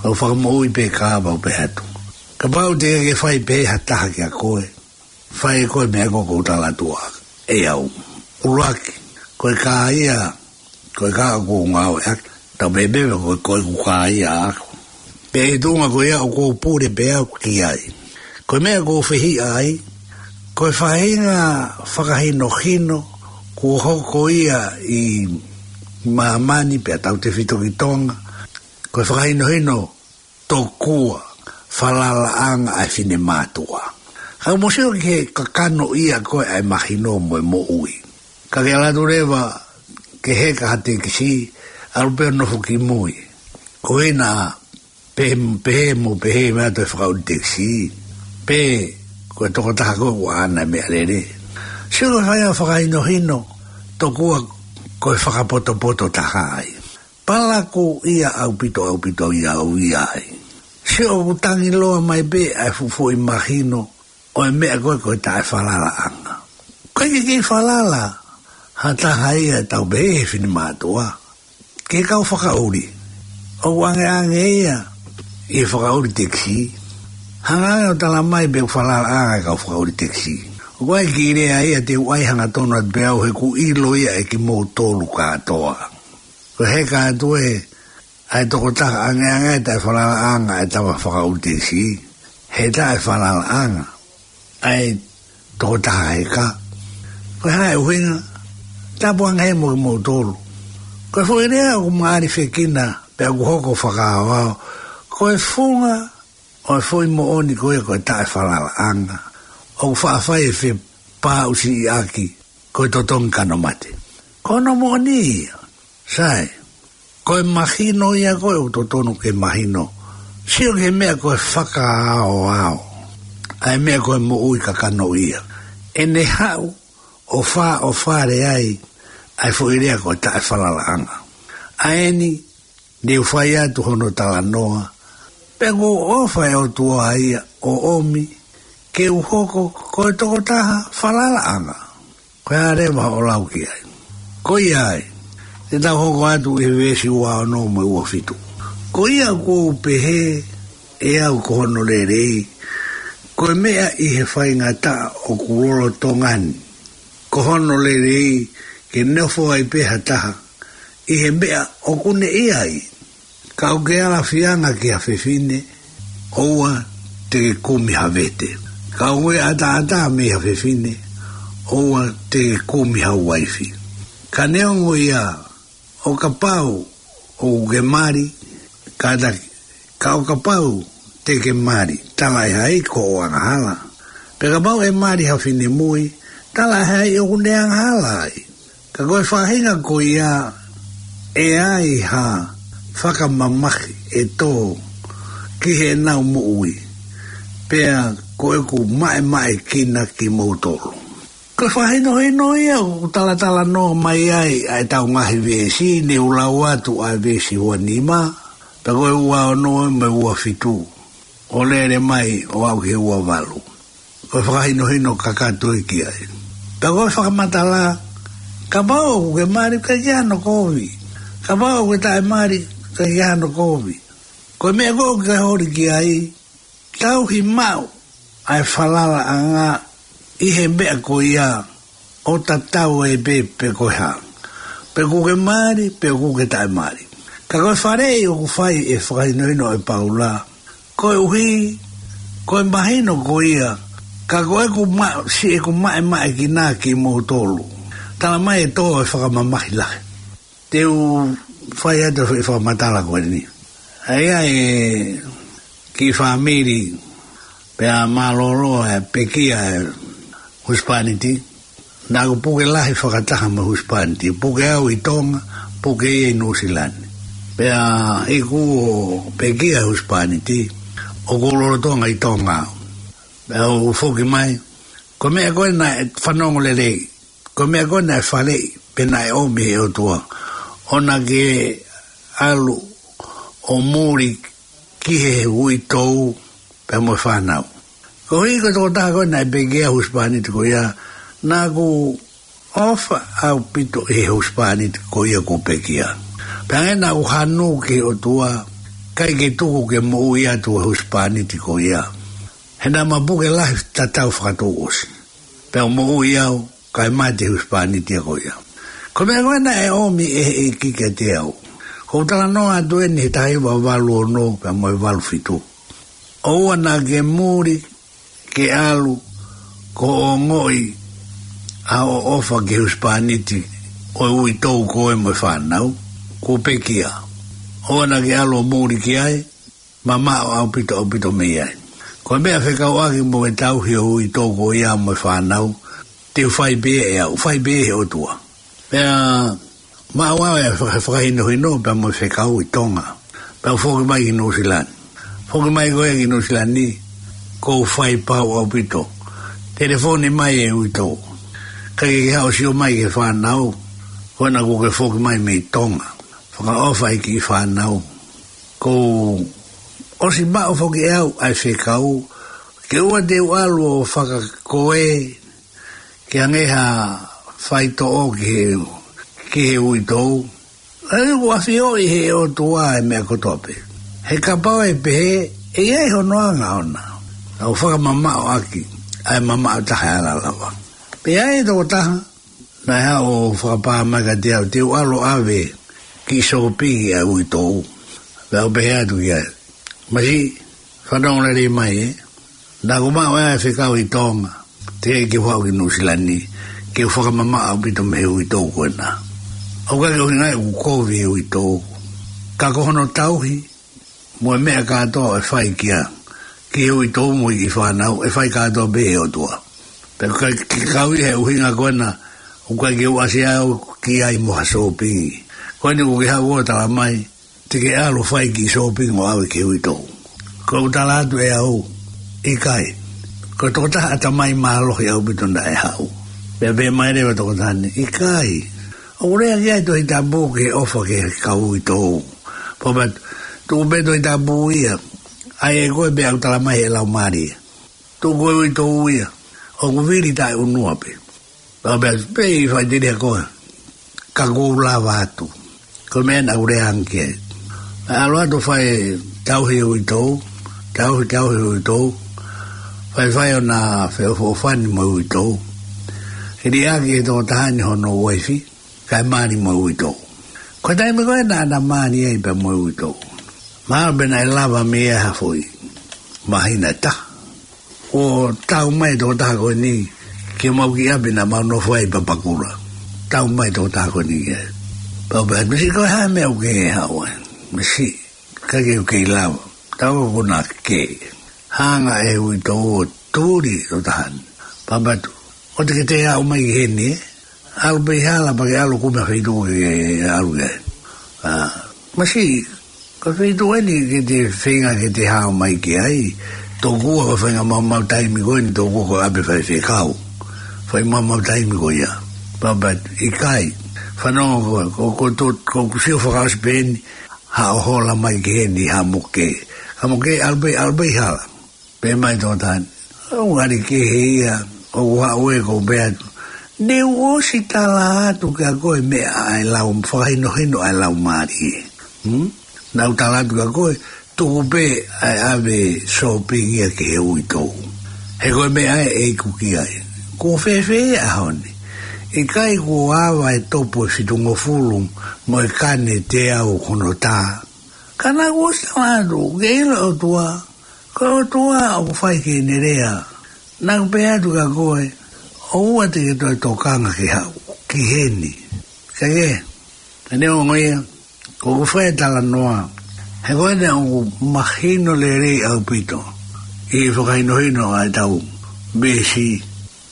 ʻO fakamoʻui pē kā pea u pehē atu, kapau te ke fai pehē ha taha kiate koe, fai ʻe koe e meʻa ko ē ʻoku ou tala atu ʻe au. ʻUluaki, ko e kā ia, ko e kā ʻoku ou ngāueʻaki, tau pehē pē ko e, ko ʻeku kā ia ʻaʻaku. Pea ʻi he tuʻunga ko ia ʻoku ou pule pē au ki ai. Ko e meʻa ʻoku ou fehiʻa ai, ko e faʻahinga fakahinohino kuo hoko ia ʻi māmani pea tautefito ki Tonga, ko e fakahinohino tokua falalaʻanga ʻa e finemātuʻa. Ka mou sio ki he kakano ia ko ē ʻa e mahino mo e moʻui. Ka ke ʻalu atu leva ke heka ha tekisī, ʻalu pē ʻo nofo ki mui. Ko ena pehē, pehē mo pehē mai ʻa e fakaʻuli tekisī, pe ko e tokotaha ko ē ʻoku ʻaʻana e meʻalele. Sio ki he faʻahinga fakahinohino tokua ko e fakapotopoto taha ai. Palakū ia ʻaupito, ʻaupito ia au ia ai. Sio ʻoku tangi loa mai pē ʻa e fuʻu foʻi mahino ʻo e meʻa ko ē ko e taʻefalalaʻanga. Ko e kiʻi falala ha taha ia, tau pehē he finemātuʻa, ki he kau fakaʻuli. ʻOku ʻangeʻange ia ʻi he fakaʻuli tekisī. Hanga ange ʻo tala mai pe ʻoku falalaʻanga e kau fakaʻuli tekisī. ʻOku ʻi ai e kiʻi lea ia te u ʻai hangatonu atu pē au he ʻoku ʻilo ia ʻe kimoutolu kātoa. Ko e heka atu ē ʻa e tokotaha, ʻangeʻange e taʻefalalaʻanga ʻa e tama fakaʻuli tekisī, he taʻefalalaʻanga ʻa e tokotaha heka. Ko e hā e ʻuhinga? Tapu ange mo kimoutolu. Ko e foʻi lea ʻoku ma ʻalifekina pea ʻoku hoko fakaaoao, ko e funga ʻo e foʻi moʻoni ko ia ko e taʻefalalaʻanga, ʻoku faʻa fai e fepāʻusiʻaki ko e totongi kano mate. Ko hono moʻoni ia. Sai, ko e mahino ia ko ē ʻoku totonu ke mahino. Sio ki he meʻa ko e fakaaoao, ʻa e meʻa ko e moʻui kakano ia. ʻEne haʻu ʻo fā, ʻo fale ai ʻa e foʻi lea ko e taʻefalalaʻanga. ʻA eni, ne u fai atu hono talanoa, pea ʻoku ʻofa e ʻOtua ia ʻo ʻomi ke u hoko ko e tokotaha falalaʻanga. Ko e hā leva hoʻo lau ki ai? Ko ia ai, te tau hoko atu ʻi he veesi ua ono mo e ua fitu. Ko ia ʻoku ou pehē ʻe au ko hono lelei, ko e meʻa ʻi he faingataʻa ʻoku lolotonga ni, ko hono lelei ke nofo ai pē ha taha ʻi he meʻa ʻoku ne ʻi ai. Ka ʻoku ke ala fianga ki ha fefine, ʻoua te ke kumi ha vete. Ka ʻoku ke ʻataʻatā mei ha fefine, ʻoua te ke kumi ha uaifi. Ka neongo ia, ʻo kapau ʻoku ke mali, kātaki, ka ʻo kapau te ke mali, talaʻehai ko hoʻo angahala. Pea kapau ʻe mali ha finemui, talaʻehai ʻoku ne angahala ai. Ka ko e faʻahinga ko ia, ʻe ai ha fakamamahi ʻe tō ki heʻenau moʻui, pea ko ʻeku maʻemaʻekina kimoutolu. Ko e fakahinohino ia ʻoku talatalanoa mai ai ʻa ʻetau ngaahi veesi, ne u lau atu ʻa e veesi ua nima, pea ko e ua ono mo e ua fitu, ʻo lele mai ʻo aʻu ki he ua valu. Ko e fakahinohino kakato ia ki ai. Pea ko e fakamatala, kapau ʻoku ke mali, ʻikai ke ʻi ai hano kovi. Kapau ʻoku ke taʻemali, ʻikai ke ʻi ai hano kovi. Ko e meʻa ko ē ʻoku ke holi ki ai, tauhi maʻu ʻa e falalaʻanga ʻi he meʻa ko ia, ʻo tatau ai pē pe ko e hā. Pe ʻoku ke mali, pe ʻoku ke taʻemali. Ka ko e faleʻi ʻoku fai ʻe he fakahinohino ʻo Paula, koeʻuhi ko e mahino ko ia, ka ko ʻeku ma-, siʻeku maʻemaʻekina kimoutolu. Tala mai ʻe tō e fakamamahi lahi. Te u fai atu e fakamatala ko eni. ʻA ia e kiʻi fāmili, pea mālōlō e pekia e husepāniti, naʻa ku puke lahi fakataha mo e husepāniti, puke au ʻi Tonga, puke ia ʻi Nuʻusila ni. Pea iku ʻo pekia e husepāniti, ʻoku ou lolotonga ʻi Tonga. Pea u foki mai, ko e meʻa ko ē naʻe fanongo lelei, ko e meʻa ko ē naʻe faleʻi, pe naʻe ʻomi ʻe he ʻOtua, ʻo na ke ʻalu ʻo muli ki he uitou pea mo e fānau. Koeʻuhi ko e tokotaha ko ē naʻe pekia e husepāniti ko ia, naʻa ku ʻofa ʻaupito ʻi he husepāniti ko ia kuo pekia. Pea hangē naʻa ku hanu ki he ʻOtua, ʻikai ke tuku ke moʻui atu e husepāniti ko ia. He naʻa ma puke lahi tatau fakatouʻosi. Pea u moʻui au, kae mate e husepāniti ko ia. Ko e meʻa ko ē naʻe ʻomi ʻe he ʻEiki kiate au. ʻOku ou talanoa atu eni he taha hiva valu ono pea mo e valu fitu. ʻOua naʻa ke muli ke ʻalu ko e ongoʻi ʻa hoʻo ʻofa ki he husepāniti ʻo e uitou ko ē mo e fānau, kuo pekia. ʻOua naʻa ke ʻalu ʻo muli ki ai, mamaʻo ʻaupito, ʻaupito mei ai. Ko e meʻa fekauʻaki mo e tauhi ʻo e uitou ko ia mo e fānau, te u fai pē ʻe au, fai pē ʻe he ʻOtua. Pea maʻu au e faka-, fakahinohino pea mo e fekau ʻi Tonga. Pea u foki mai ki Nuʻusila ni. Foki mai ko ē ki Nuʻusila ni, ʻoku ou fai pau ʻaupito. Telefoni mai e uitou. ʻIkai ke ke haʻu ʻo sio mai ki he fānau, ko ena kuo ke foki mai mei Tonga. Fakaʻofa e kiʻi fānau. ʻOku ou ʻosi maʻu foki ʻe au ʻa e fekau, ke ʻoua te u ʻalu ʻo fakakoe, ke hangē ha faitoʻo ki he, ki he uitou. ʻA ia ʻoku ʻafioʻi ʻe he ʻOtua e meʻa kotoa pē. He kapau ʻe pehē, ʻe ʻi ai hono anga ʻona. ʻOku fakamamaʻo ʻaki ʻa e mamaʻo taha ʻe ala lava. Pea ʻi ai e tokotaha naʻe haʻu ʻo fakapā mai kiate au, te u ʻalu ʻo ʻave kiʻi sōpingi ʻa e uitou. Pea u pehē atu ki ai, masiʻi, fanongo lelei mai ē. Naʻa ku maʻu ʻa e fekau ʻi Tonga, teʻeki ke u haʻu ki Nuʻusila ni, ke u fakamamaʻo ʻaupito mei he uitou ko ena. ʻOku ʻikai ke ʻuhinga ʻeku kovi e uitou. Ka ko hono tauhi, mo e meʻa kātoa ʻe fai kia, ki he uitou mo e kiʻi fānau, ʻe fai kātoa pē ʻe he ʻOtua. Pea ʻikai ke kau ʻi he ʻuhinga ko ena, ʻoku ʻikai ke u ʻasi au ki ai mo ha sōpingi. Ko eni ʻoku ke haʻu ʻo tala mai, te ke ʻalu ʻo fai kiʻi sōpingi ʻo ʻave ki he uitou. ʻOku ou tala atu ʻe au, ʻikai. Ko e tokotaha ʻatamai mālohi ʻaupito naʻe haʻu. Pea pehē mai leva e tokotaha ni, ʻikai. ʻOku lea ki ai e Tohi Tapu ki he ʻofa ki he kau uitou. Pea u pehē atu, tuku pē Tohi Tapu ia, ʻai ʻe koe pē ʻoku tala mai ʻe he Laumālie. Tuku e uitou ia, ʻoku vili taʻeʻunua pē. Pea u pehē atu, pea ʻe faʻiteliha koe, ka ʻoku ou lava atu. Ko e meʻa naʻa ku lea ange ki ai. Naʻe ʻalu atu ʻo fai tauhi e uitou, tauhi, tauhi e uitou, faifai ʻona feʻofoʻofani mo e uitou. Hili ʻaki ʻe he tokotaha ni hono uaifi, kae mali mo e uitou. Ko e taimi ko ē naʻa na mali ai pea mo e uitou, mahalo pē naʻe lava mei ai ha foʻi māhina ʻe taha. ʻO tau mai e tokotaha ko eni ki homau kiʻi ʻapi naʻa mau nofo ai ʻi Papakura. Tau mai e tokotaha ko eni ki ai. Pea u pehē atu, masiʻi, ko e hā e meʻa ʻoku ke haʻu ai? Masiʻi, ʻikai ke u kei lava. Tau ko na ke. Hanga ʻe he uitou ʻo tuli e tokotaha ni. Pea u pehē atu, ʻoua te ke toe aʻu mai ki heni ē. ʻAlu pē hala pea ke ʻalu ʻo kumi ha feituʻu ke ʻalu ki ai. ʻA, masiʻi, Ko e feituʻu eni ke te feinga ke te hao mai ki ai. Tokua ko e faʻahinga maumau taimi ko eni, tokua ko e ʻapi faifekau. Fai maumau taimi ko ia. Papa, ʻikai. Fanongo ko, ko, ko, to, ko ʻeku sio fakaʻosi pē eni, haʻo hola mai ki heni, ha moke. Ha moke, ʻalu pē, ʻalu pē hala. Pehē mai Toketā ni, ʻoku ngali kehe ia, ʻoku haʻu ē, ʻoku ou pehē atu, ne u ʻosi tala atu kia koe meʻa ʻa e lau, fakahinohino ʻa e laumālie. Hmm? Naʻá ku tala atu kia koe, tuku pē ʻa e ʻave shopping ia ki he uitou. He ko e meʻa ē ʻe iku ki ai. Kuo fēfē ʻa e ʻaho ni? ʻIkai kuo ava e topu ʻe fitungofulu mo e kane teau hono tā? Ka naʻá ku ʻosi tala atu, ke ʻilo ʻOtua, ko e ʻOtua ʻoku fai ki heʻene lea. Naʻá ku pehē atu kia koe, ʻoua te ke toe tokanga ke haʻu ki heni. Kae kehe, ʻa e ongo ia, ko ʻeku fai e talanoa, he ko ena ʻoku mahino lelei ʻaupito ʻi he fakahinohino ʻa e tau veesi,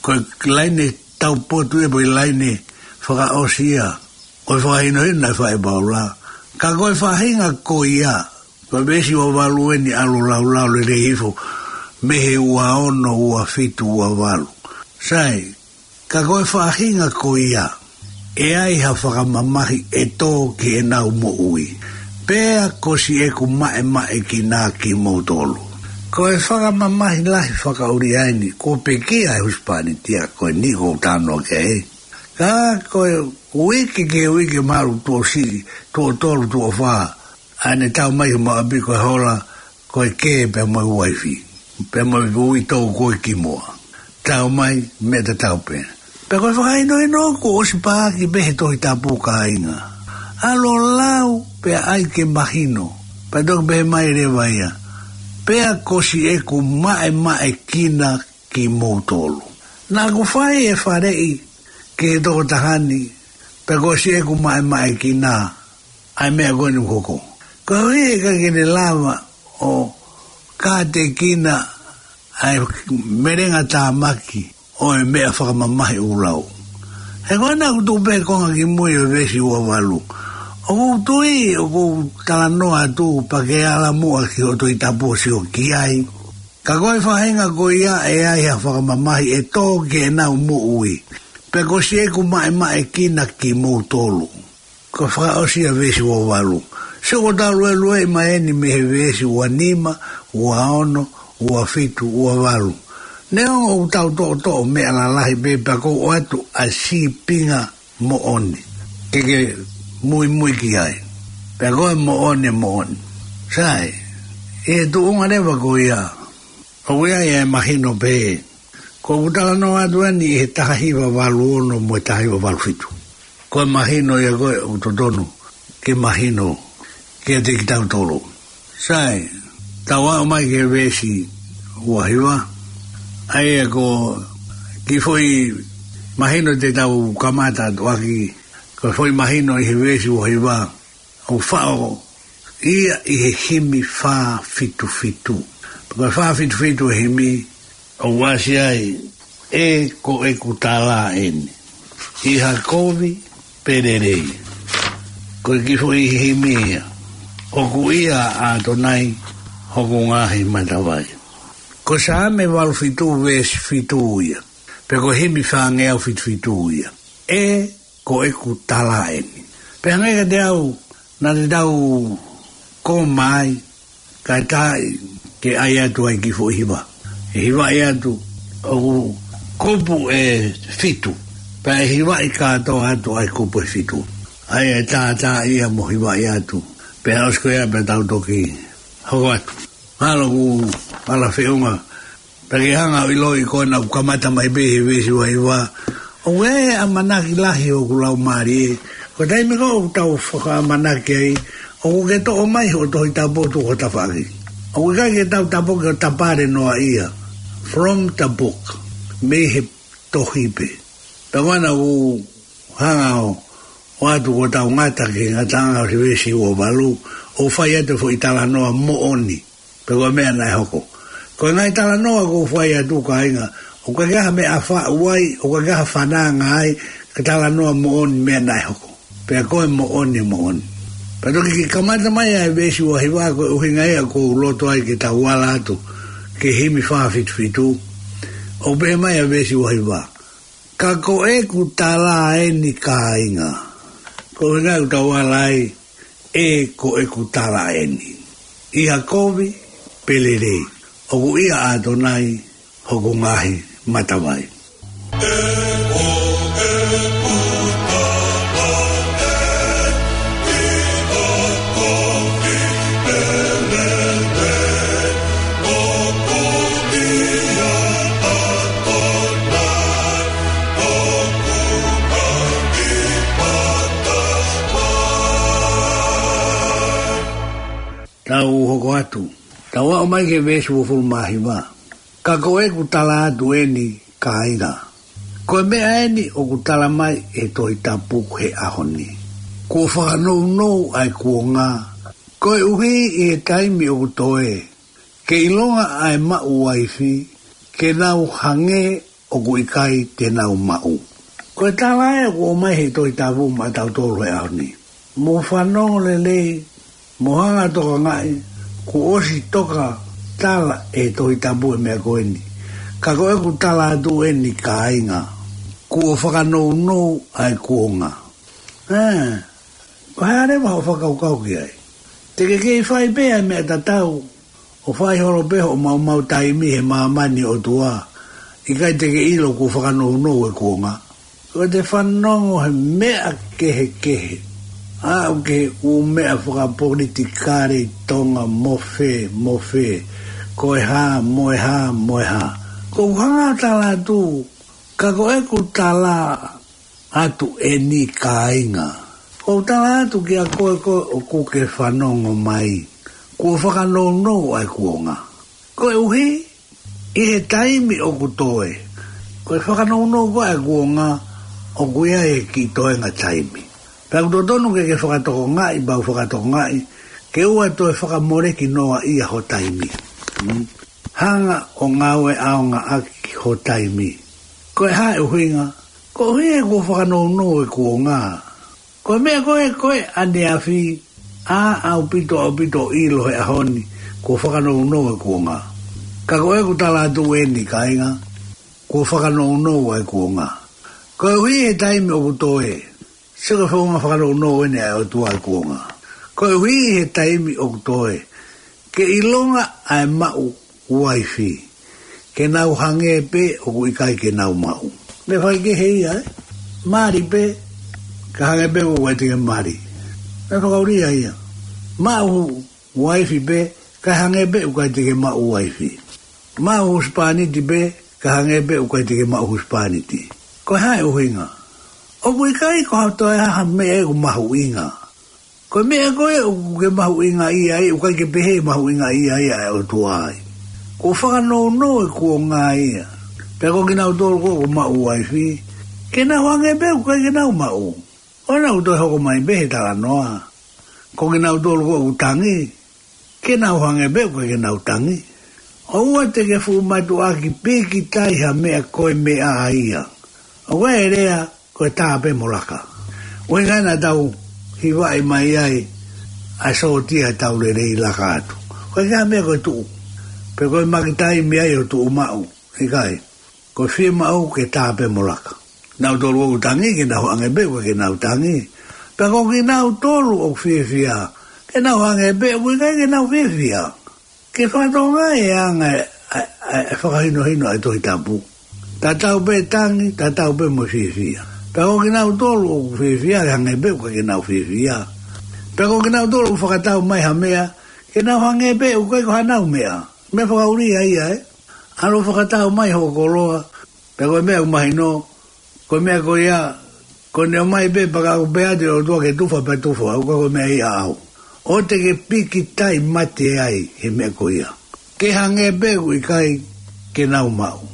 ko e laine taupotu ē, pe ko e laine fakaʻosi ia ʻo e fakahinohino naʻe fai ʻe Paula. Ka ko e faʻahinga ko ia, ko e veesi ua valu eni, ʻalu ʻo laulau lelei hifo mei he ua ono, ua fitu, ua valu. Sai, ka ko e faʻahinga ko ia, ʻe ai ha fakamamahi ʻe tō ki heʻenau moʻui, pea ko siʻeku maʻemaʻekina kimoutolu. Ko e fakamamahi lahi fakaʻulia eni, kuo pekia e husepāniti ia ko eni ʻoku ou talanoa ki ai. Ka ko e uike ki he uike, mahalo tuʻo siʻi, tuʻo tolu, tuʻo fā, ʻa ʻene tau mai ki homau ʻapi, ko e hola, ko e kē pea mo e uaifi, pea mo e uitou ko ē ki muʻa. Tau mai, meʻa tatau pē. Pea ko e fakahinohino kuo ʻosi paaki pē he Tohi Tapu, kāinga. ʻAlu ʻo lau pea ʻai ke mahino. Pea toki pehē mai leva ia, pea ko siʻeku maʻemaʻekina kimoutolu. Naʻá ku fai e faleʻi ki he tokotaha ni, pea ko siʻeku maʻemaʻekina ʻa e meʻa ko eni ʻoku hoko. Koeʻuhi he ʻikai ke ne lava ʻo kātekina ʻa e melenga tāmaki ʻo e meʻa fakamamahi ʻoku lau. He ko ena ʻoku tuʻu pē konga ki mui ʻo e veesi ua valu. ʻOku ou tui, ʻoku ou talanoa atu, pea ke ala muʻa ki hoʻo Tohi Tapu ʻo sio ki ai. Ka ko e faʻahinga ko ia, ʻe ai ha fakamamahi ʻe tō ki heʻenau moʻui, pea ko siʻeku maʻemaʻekina kimoutolu. Ko e fakaʻosi ia veesi ua valu. Sio, ko ʻetau luelueʻi mai eni mei he veesi ua nima, ua ono, ua fitu, ua valu. Neongo ʻoku tau toʻotoʻo meʻa lalahi pē, pea ʻoku ou ʻoatu ʻa e sīpinga moʻoni ke ke muimui ki ai. Pea ko e moʻoni, moʻoni. Sai, ʻi he tuʻunga leva ko ia, ʻoku ʻi ai e mahino pē. Ko ʻeku talanoa atu eni ʻi he taha hiva valu ono mo e taha hiva valu fitu. Ko e mahino ia ko ē ʻoku totonu ke mahino kiate kitautolu. Sai, tau aʻu mai ki he veesi ua hiva. ʻA ia ko e kiʻi foʻi mahino te tau kamata atu ʻaki, ko e foʻi mahino ʻi he veesi ua hiva, ʻoku faʻo ia ʻi he himi fā fitu fitu. Ko e fā fitu fitu e himi, ʻoku ʻasi ai, ʻE ko ʻeku tala eni. ʻI ha kovi pe lelei. Ko e kiʻi foʻi himi ia. ʻOku ʻia ʻAtonai hoku ngaahi matavai. Ko Saame valu fitu veesi fitu ia. Pea ko e himi fāngeau fitu fitu ia. ʻE ko ʻeku tala eni. Pea hangē kiate au, naʻa te tau koma ai, kae taʻi ke ʻai atu ai kiʻi foʻi hiva. ʻE hivaʻi atu, ʻoku kupu ʻe fitu. Pea ʻe hivaʻi kātoa atu ʻa e kupu ʻe fitu. ʻA ia ʻe tātā ia mo hivaʻi atu. Pea ʻosi ko ia pea tau toki hoko atu. Mālō ʻoku ala feʻunga. Pea ke hanga ʻo ʻiloʻi ko ena ʻoku kamata mai pē he veesi ua hiva. ʻOku ʻi ai e ʻamanaki lahi ʻoku laumālie. Ko e taimi ko ē ʻoku tau fakaʻamanaki ai, ʻoku ke toʻo mai hoʻo Tohi Tapu ʻo tuku ho tafaʻaki. ʻOku ʻikai ke tau tapuki ʻo tapale noa ia. From the book. Mei he tohi pē. Pea ko ena ʻoku hanga ʻo, ʻoatu ko ʻetau ngata ki he ngataʻanga ʻo e veesi ua valu, ʻo fai atu e foʻi talanoa moʻoni. Pe ko e meʻa naʻe hoko. Ko e ngaahi talanoa ʻoku ou fai atu, kāinga, ʻoku ʻikai ha meʻa faʻu ai, ʻoku ʻikai ha fananga ai, ka talanoa moʻoni meʻa naʻe hoko. Pea ko e moʻoni, moʻoni. Pea toki ke kamata mai ʻa e veesi ua hiva, ko e ʻuhinga ia ʻoku ou loto ai ke tau ala atu ki he himi fā fitu fitu. ʻOku pehē mai ʻa e veesi ua hiva: Ka ko ʻeku tala eni kāinga. Ko e ʻuhinga ia ʻoku tau ala ai, ʻe ko ʻeku tala eni. ʻI ha kovi pe lelei, ʻoku ʻia ʻAtonai hoku ngaahi matavai. Tau hoko atu. Tau aʻu mai ki he veesi uofulu mā hiva. Ka ko ʻeku tala atu eni kāinga. Ko e meʻa eni ʻoku tala mai ʻe he Tohi Tapu he ʻaho ni. Kuo fakanounou ʻa e kuonga. Koeʻuhi ʻi he taimi ʻoku toe, ke ʻilonga ʻa e maʻu uaifi, ke nau hangē ʻoku ʻikai te nau maʻu. Ko e tala ē ʻoku ʻomai he Tohi Tapu maʻatautolu he ʻaho ni. Mou fanongo lelei, mou hanga tokangaʻi, kuo ʻosi toka tala ʻe he Tohi Tapu e meʻa ko eni. Ka ko ʻeku tala atu eni kāinga, kuo fakanounou ʻa e kuonga. Ē, ko e hā leva hoʻo fakakaukau ki ai? Te ke kei fai pē ʻa e meʻa tatau, ʻo fai holo pē hoʻo maumau taimi he māmani ʻo e ʻOtua, ʻikai te ke ʻilo kuo fakanounou e kuonga. Ko ʻete fanongo he meʻa kehekehe. Aʻu ki he ʻū meʻa fakapolitikale ʻi Tonga, mo fē, mo fē. Ko e hā, mo e hā, mo e hā. ʻOku ou hanga ʻo tala atu, ka ko ʻeku tala atu eni kāinga. ʻOku ou tala atu kiate koe, koe ʻoku ke fanongo mai. Kuo fakanounou ʻa e kuonga. Koeʻuhi, ʻi he taimi ʻoku toe. Ko e fakanounou ko ē ʻa e kuonga ʻoku ʻi ai e kiʻi toenga taimi. Pea ʻoku totonu ke ke fakatokangaʻi, pea u fakatokangaʻi, ke ʻoua toe fakamoleki noa ia ho taimi. Mm. Hanga ʻo ngāue ʻaonga ʻaki ho taimi. Ko e hā e ʻuhinga? Koeʻuhi he kuo fakanounou e kuonga. Ko e meʻa ko ē, ko e ʻaneafi, ʻaupito, ʻaupito ʻilo he ʻaho ni, kuo fakanounou e kuonga. Ka ko ʻeku tala atu eni kāinga, kuo fakanounou ʻa e kuonga. Koeʻuhi he taimi ʻoku toe, sio ko e founga fakanounou eni ʻa e ʻOtua e kuonga. Koeʻuhi he taimi ʻoku toe, ke ʻilonga ʻa e maʻu uaifi, ke nau hangē pē ʻoku ʻikai ke nau maʻu. Meʻa faikehe ia, ē? Mali pē, ka hangē pē ʻoku ʻikai te ke mali. Meʻa fakaʻulia ia. Maʻu uaifi pē, ka hangē pē ʻoku ʻikai te ke maʻu uaifi. Maʻu husepāniti pē, ka hangē pē ʻoku ʻikai te ke maʻu husepāniti. Ko e hā e ʻuhinga? ʻOku ʻikai ko ha toe ha meʻa ʻoku mahuʻinga. Ko e meʻa ko ē ʻoku ke mahuʻingaʻia ai, ʻoku ʻikai ke pehē mahuʻingaʻia ai ʻa e ʻOtua ai. Kuo fakanounou e kuonga ia. Pea ko kinautolu ko ē ʻoku maʻu uaifi, ke nau hangē pē ʻoku ʻikai ke nau maʻu. ʻOua naʻa toe hoko mai pē he talanoa. Ko kinautolu ko ē ʻoku tangi, ke nau hangē pē ʻoku ʻikai ke nau tangi. ʻOua te ke fuʻu mātuʻaki pīkitai ha meʻa ko e meʻa ia. ʻOku ʻi ai e lea, ko e tā pē mo laka. ʻUhinga ia naʻa tau hivaʻi mai ai ʻa e sōtia ʻetau lelei laka atu. Ko e hā e meʻa ko e tuʻu? Pe ko e makitaimi ai ʻo tuʻu maʻu? ʻIkai. Ko e fiemaʻu ke tā pē mo laka. Nautolu ʻoku tangi ke nau hangē pē ʻoku ʻikai ke nau tangi. Pea ko kinautolu ʻoku fiefia, ke nau hangē pē ʻoku ʻikai ke nau fiefia. Ke fakatokangaʻi e anga e, e, e, e fakahinohino ʻa e Tohi Tapu. Tatau pē tangi, tatau pē mo e fiefia. Pea ko kinautolu ʻoku fiefia, ke hangē pē ʻoku ʻikai ke nau fiefia. Pea ko kinautolu ʻoku fakatau mai ha meʻa, ke nau hangē pē ʻoku ʻikai ko hanau meʻa. Meʻa fakaʻulia ia, ē? ʻAlu ʻo fakatau mai hoʻo koloa, pea ko e meʻa ʻoku mahino, ko e meʻa ko ia, ko ʻene ʻomai pē pea ka ʻoku pehē atu e ʻOtua ke tufa pea tufa, ʻoku ʻikai ko e meʻa ia ʻaʻau. ʻOua te ke pīkitai mate ai he meʻa ko ia. Ke hangē pē ʻoku ʻikai ke nau maʻu.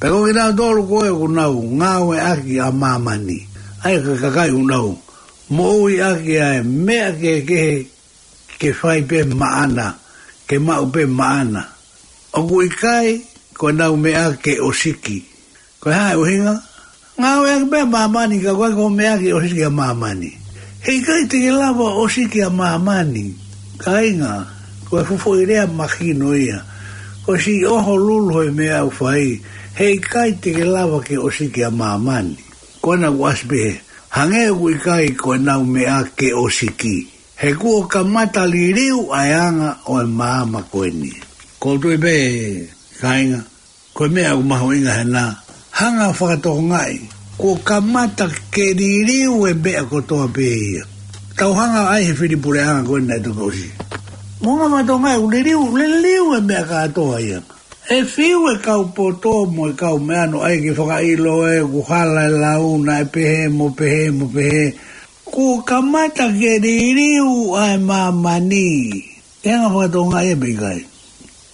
Pea ko kinautolu ko ē ʻoku nau ngāueʻaki ʻa māmani. ʻA ia ko e kakai ʻoku nau moʻuiʻaki ʻa e meʻa kehekehe ke fai pē maʻana, ke maʻu pē maʻana. ʻOku ʻikai ko ʻenau meʻa ke ʻosiki. Ko e hā e ʻuhinga? Ngāueʻaki pē ʻa māmani ka ʻoku ʻikai ko e meʻa ke ʻosiki ʻa māmani. Heʻikai te ke lava ʻo ʻosiki ʻa māmani. Kāinga, ko e fuʻu foʻi lea mahino ia. Ko siʻi ʻoho lulu he meʻa ʻoku fai. Heʻikai te ke lava ke ʻosiki ʻa māmani. Ko ena ʻoku ʻasi pē he, hangē ʻoku ʻikai ko ʻenau meʻa ke ʻosiki. He kuo kamata liliu ʻa e anga ʻo e maama ko eni. Ko u tui pē, kāinga, ko e meʻa ʻoku mahuʻinga hena, hanga ʻo fakatokangaʻi, kuo kamata ke liliu e meʻa kotoa pē ia. Tau hanga ʻai he fili puleʻanga ko ena ʻe toki ʻosi. Mo hanga ʻo fakatokangaʻi, ʻoku liliu, liliu e meʻa kātoa ia. ʻE fiu e kau poto mo e kau meʻa no ai ke fakaʻilo ʻe ʻoku hala e lau naʻe pehē mo pehē mo pehē. Kuo kamata ke liliu ʻa e māmani. ʻE hanga ʻo fakatokangaʻi ia pe ʻikai.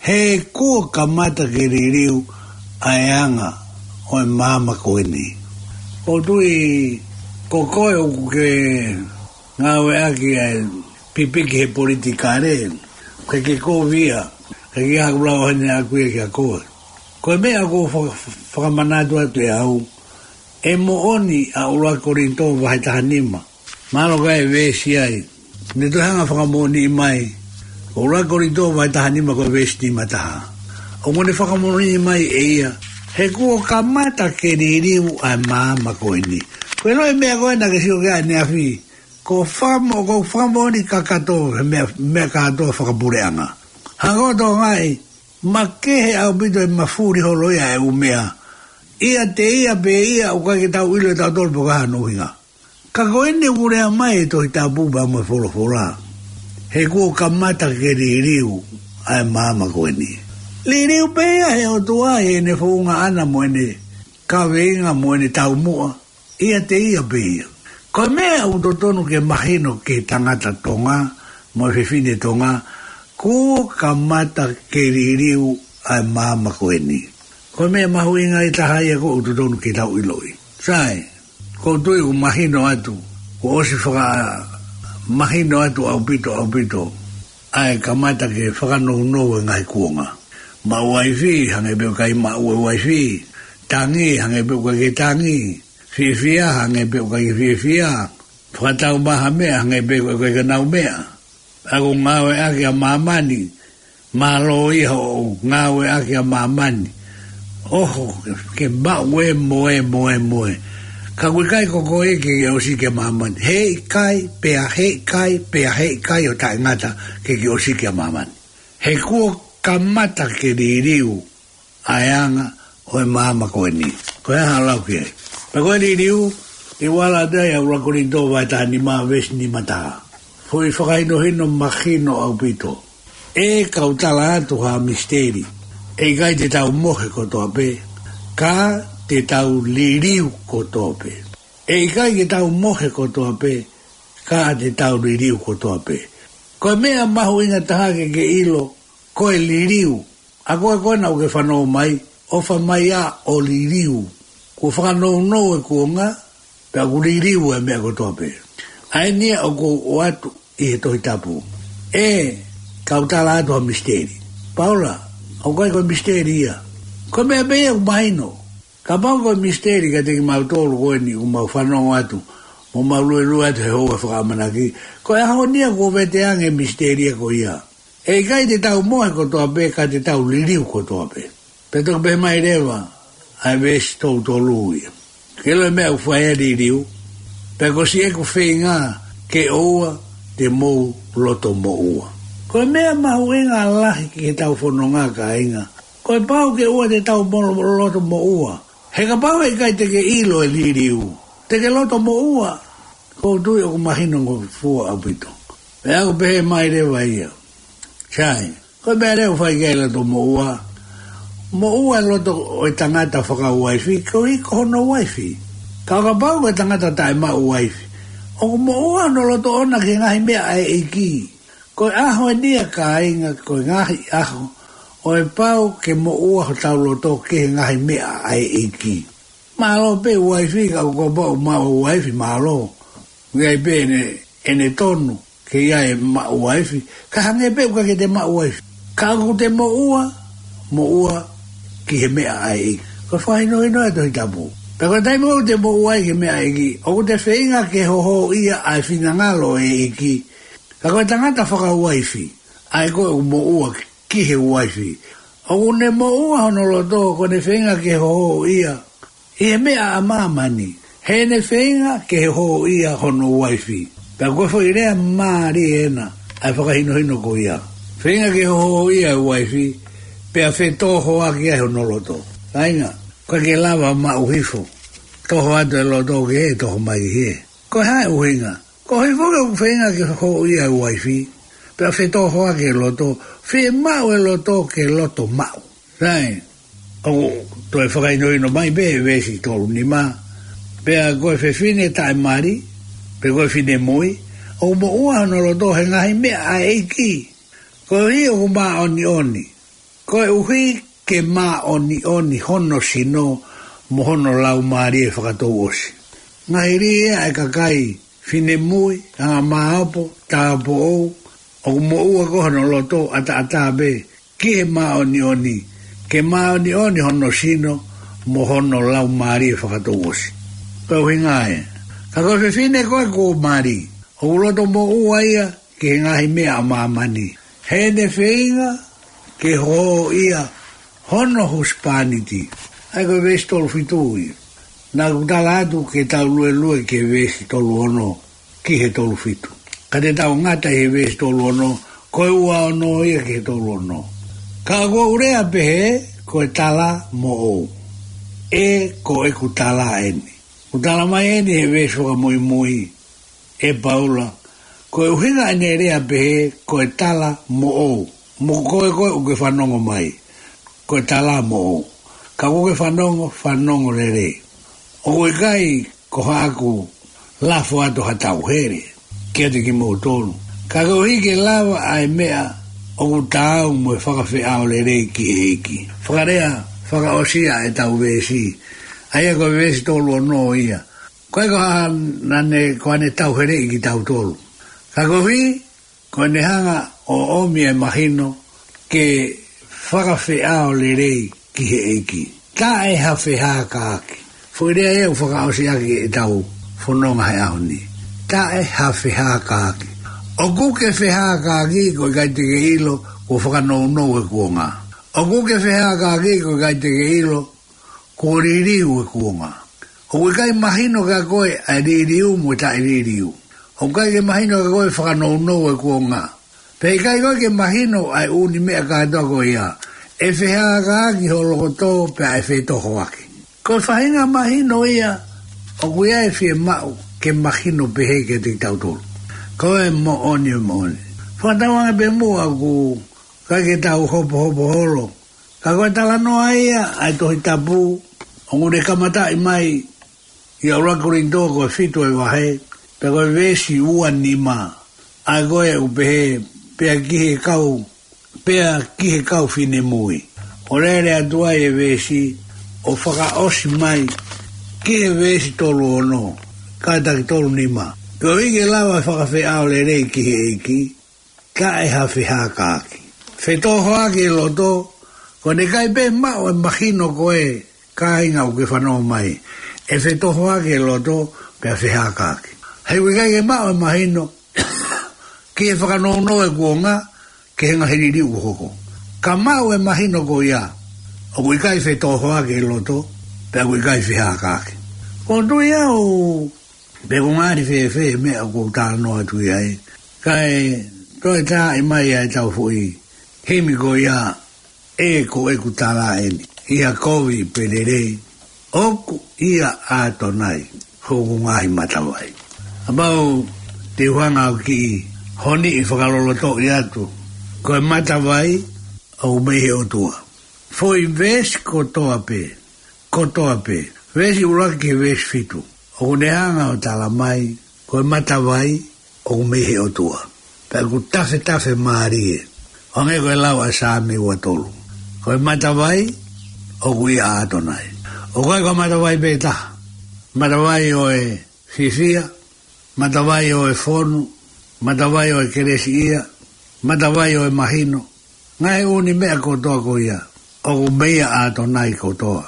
He kuo kamata ke liliu ʻa e anga ʻo e maama ko eni. Ko u tui ko koe ʻoku ke ngāueʻaki ʻa e pipiki he politikale, ke ke kovi ia, ke ke haku lau hene aku ia kia koe. Ko e meʻa ʻoku ou faka-, fakamanatu atu ʻe au, ʻe moʻoni ʻa ʻUluaki Kolinitō vahe taha nima. Mālō ka e veesi ai. Ne toe hanga ʻo fakamoʻoniʻi mai. ʻUluaki Kolinitō vahe taha nima ko e veesi nima taha. ʻOku ne fakamoʻoniʻi mai ʻe ia, he kuo kamata ke liliu ʻa e maama ko eni. Ko e lau e meʻa ko ena ke sio ki ai ʻaneafi. Ko fakamo-, ko fakamoʻoni kakato he meʻa, meʻa kātoa fakapuleʻanga. Hanga ʻo fakatokangaʻi, makehe ʻaupito e mafuli holo ia e ʻū meʻa. ʻIate ia pē ia ʻoku ʻikai ke tau ʻilo ʻe tautolu pe ko e hā hono ʻuhinga. Ka ko eni ʻoku lea mai e Tohi Tapu pea mo e folofola. He kuo kamata ke liliu ʻa e maama ko eni. Liliu pē ia he ʻOtua ʻi heʻene founga ʻana mo ʻene kaveinga mo ʻene taumuʻa. ʻIate ia pē ia. Ko e meʻa ʻoku totonu ke mahino ki he tangata Tonga mo e fefine Tonga, kuo kamata ke liliu ʻa e maama ko eni. Ko e meʻa mahuʻinga ʻe taha ia ʻoku totonu ke tau ʻiloʻi. Sai, ko u tui ʻoku mahino atu, kuo ʻosi fakamahino atu ʻaupito, ʻaupito ʻa e kamata ke fakanounou e ngaahi kuonga. Maʻu uaifi, hangē pē ʻoku ʻikai maʻu e uaifi. Tangi, hangē pē ʻoku ʻikai ke tangi. Fiefia, hangē pē ʻoku ʻikai ke fiefia. Fakatau mai ha meʻa, hangē pē ʻoku ʻikai ke nau meʻa. ʻOku ngāueʻaki ʻa māmani, mālō ia hoʻo ngāueʻaki ʻa māmani. ʻOho, ke maʻu e moe, moe, moe. Ka ʻoku ʻikai ko koe ke ke ʻosiki ʻa māmani. Heʻikai, pea heʻikai, pea heʻikai ʻo taʻengata ke ke ʻosiki ʻa māmani. He kuo kamata ke liliu ʻa e anga ʻo e maama ko eni. Ko e hā ʻa e lau ki ai? Pea ko e liliu, ʻi he vala atu ai ʻa ʻUluaki Kolinitō vahe taha nima veesi nima taha. Foʻi fakahinohino mahino ʻaupito. ʻE kau tala atu ha misiteli. ʻE ʻikai te tau mohe kotoa pē, ka te tau liliu kotoa pē. ʻE ʻikai ke tau mohe kotoa pē, ka te tau liliu kotoa pē. Ko e meʻa mahuʻinga taha ke ke ʻilo, ko e liliu. ʻA koe ko ena ʻoku ke fanongo mai, ʻofa mai ā ʻo liliu. Kuo fakanounou e kuonga, pea ʻoku liliu e meʻa kotoa pē. ʻA eni ia ʻoku ou ʻoatu ʻi he Tohi Tapu. ʻE kau tala atu ha misiteli. Paula, ʻoku ʻikai ko e misiteli ia. Ko e meʻa pē ia ʻoku mahino. Kapau ko e misiteli kiate kimautolu ko eni ʻoku mau fanongo atu, mo mau luelue atu he houa fakaʻamanaki, ko e ʻaho ni ia kuo vete ange e misiteli ia ko ia. ʻE ʻikai te tau mohe kotoa pē, ka te tau liliu kotoa pē. Pea toki pehē mai leva ʻa e veesi tolu tolu ia. Ke ʻilo e meʻa ʻoku fai ai e liliu, pea ko siʻeku feinga ke ʻoua te mou loto moʻua. Ko e meʻa mahuʻinga lahi ki heʻetau fononga, kāinga. Ko e pau ke ʻoua te tau mo-, loto moʻua. He kapau ʻe ʻikai te ke ʻilo e liliu, te ke loto moʻua. Ko u tui ʻoku mahino ngofua ʻaupito. Pea ʻoku pehē mai leva ia. Sai, ko e meʻa leva ʻoku fai ki ai e loto moʻua. Moʻua e loto ʻo e tangata fakauaifi, koeʻuhi ko hono uaifi. Ka kapau ko e tangata taʻemaʻu uaifi, ʻoku moʻua hono loto ʻoʻona ki he ngaahi meʻa ʻa e ʻEiki. Ko e ʻaho eni ia, kāinga, ko e ngaahi ʻaho ʻo e pau ke moʻua hotau loto ki he ngaahi meʻa ʻa e ʻEiki. Mālō pē uaifi, ka ʻoku pau maʻu uaifi, mālō. ʻOku ʻi ai pē ʻene, ʻene tonu ke ʻi ai e maʻu uaifi, ka hangē pē ʻoku ʻikai ke te maʻu uaifi. Ka ʻoku te moʻua, moʻua ki he meʻa ʻa e ʻEiki. Ko e fakahinohino ʻa e Tohi Tapu. Pea ko e taimi ʻoku te moʻua ai ki he meʻa ʻa e ʻEiki, ʻoku te feinga ke hohoʻia ʻa e finangalo ʻo e ʻEiki. Ka ko e tangata fakauaifi, ʻa ē ko ē ʻoku moʻua ki he uaifi, ʻoku ne moʻua hono loto, ko ʻene feinga ke hohoʻia ʻi he meʻa ʻa māmani, heʻene feinga ke hohoʻia hono uaifi. Pea ko e foʻi lea mālie ena ʻa e fakahinohino ko ia. Feinga ke hohoʻia e uaifi, pea fetōhoaki ai hono loto. Kāinga, ʻoku ʻikai ke lava maʻu hifo, toho atu e loto ki hē, toho mai ki hē. Ko e hā e ʻuhinga? Ko e hifo ke ʻoku feinga ke hohoʻia e uaifi, pea fetōhoaki e loto, fiemaʻu e loto ke loto maʻu. Sai, ʻoku toe fakahinohino mai pē he veesi tolu nima, pea ko e fefine taʻemali, pe ko e finemui, ʻoku moʻua hono loto he ngaahi meʻa ʻa e ʻEiki, koeʻuhi ʻoku māʻoniʻoni, koeʻuhi ke māʻoniʻoni hono sino mo hono laumālie fakatouʻosi. Ngaahi lī ʻa e kakai finemui, anga māopo, tāupoʻou, ʻoku moʻua ko hono loto ʻataʻatā pē ki he māʻoniʻoni, ke māʻoniʻoni hono sino mo hono laumālie fakatouʻosi. Ko e ʻuhinga ē. Ka ko e fefine ko ē kuo mali, ʻoku loto moʻua ia ki he ngaahi meʻa ʻa māmani, heʻene feinga ke hohoʻia hono husepāniti. ʻA ia ko e veesi tolu fitu ia. Naʻa ku tala atu ke tau luelue ki he veesi tolu ono ki he tolu fitu. Ka te tau ngata he veesi tolu ono, ko e ua ono ia ki he tolu ono. Ka ʻoku ou lea pehē, ko e tala moʻou. ʻE, ko ʻeku tala eni. ʻOku tala mai eni he veesi fakamuimui ʻe Paula, ko e ʻuhinga ʻene lea pehē, ko e tala moʻou. Mo koe ko ē ʻoku ke fanongo mai, ko e tala moʻou. Ka ʻoku ke fanongo, fanongo lelei. ʻOku ʻikai ko haʻaku lafo atu ha tauhele kiate kimoutolu. Ka koeʻuhi ke lava ʻa e meʻa ʻoku taau mo e fakafeʻao lelei ki he ʻEiki. Fakalea fakaʻosi ʻa ʻetau veesi, ʻa ia ko e veesi tolu ono ia. ʻOku ʻikai ko haʻane, ko haʻane tauheleʻi kitautolu. Ka koeʻuhi, ko ʻene hanga ʻo ʻomi e mahino ke fakafeʻao lelei ki he ʻEiki. Taʻe ha fehākaaki. Foʻi lea ia ʻoku fakaʻosi ʻaki ʻetau fononga he ʻaho ni. Taʻe ha fehākaaki. ʻOku ke fehākaaki, ʻoku ʻikai te ke ʻilo kuo fakanounou e kuonga. ʻOku ke fehākaaki, ʻoku ʻikai te ke ʻilo kuo liliu e kuonga. ʻOku ʻikai mahino kia koe ʻa e liliu mo e taʻeliliu. ʻOku ʻikai ke mahino kia koe fakanounou e kuonga. Pea ʻikai koe ke mahino ʻa e ʻū meʻa kātoa ko ia. ʻE fehākaaki ho loto pea ʻe fetōhoaki. Ko e faʻahinga mahino ia ʻoku ʻi ai e fiemaʻu ke mahino pehē kiate kitautolu. Ko e moʻoni, e moʻoni. Fakatauange pē muʻa ʻoku ʻikai ke tau hopohopo holo. Ka ko e talanoa ia ʻa e Tohi Tapu, ʻoku ne kamataʻi mai ʻi he ʻuluaki Kolinitō ko e fitu e vahe, pea ko e veesi ua nima, ʻa ia ko ē ʻoku pehē, pea ki he kau, pea ki he kau finemui. ʻO lele atu ai e veesi, ʻo fakaʻosi mai ki he veesi tolu ono, kātaki tolu nima. Koeʻuhi ke lava e fakafeʻao lelei ki he ʻEiki, taʻe ha fehākaaki. Fetōhoaki e loto, ko ʻene ʻikai pē maʻu e mahino ko ē, kāinga ʻoku ke fanongo mai. ʻE fetōhoaki e loto, pea fehākaaki. He ʻoku ʻikai ke maʻu e mahino, ki he fakanounou e kuonga, ki he ngaahi liliu ʻoku hoko. Ka maʻu e mahino ko ia, ʻoku ʻikai fetōhoaki e loto, pea ʻoku ʻikai fehākaaki. ʻOku ou tui au, pe ʻoku ngali fēfē e meʻa ʻoku ou talanoa atu ki ai. Kae toe taaʻi mai ʻa ʻetau foʻi himi ko ia, ʻE, ko ʻeku tala eni. ʻI ha kovi pe lelei, ʻoku ʻia ʻAtonai hoku ngaahi matavai. Kapau te u hanga ʻo kiʻi honiʻi fakalolotoʻi atu, ko e matavai ʻoku mei he ʻOtua. Foʻi veesi kotoa pē, kotoa pē. Veesi ʻuluaki ki he veesi fitu. ʻOku ne hanga ʻo tala mai, ko e matavai ʻoku mei he ʻOtua. Pea ʻoku tafetafe mālie. ʻO hangē ko e lau ʻa Saame ua tolu. Ko e matavai ʻoku ʻia ʻAtonai. ʻOku ʻikai ko e matavai pē taha. Matavai ʻo e fiefia, matavai ʻo e fonu, matavai ʻo e kelesiʻia, matavai ʻo e mahino, ngaahi ʻū meʻa kotoa ko ia, ʻoku mei ʻia ʻAtonai kotoa.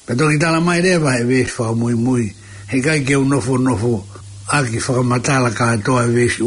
Pea toki tala mai leva he veesi fakamuimui, he ʻikai ke u nofonofo ʻaki fakamatala kātoa e veesi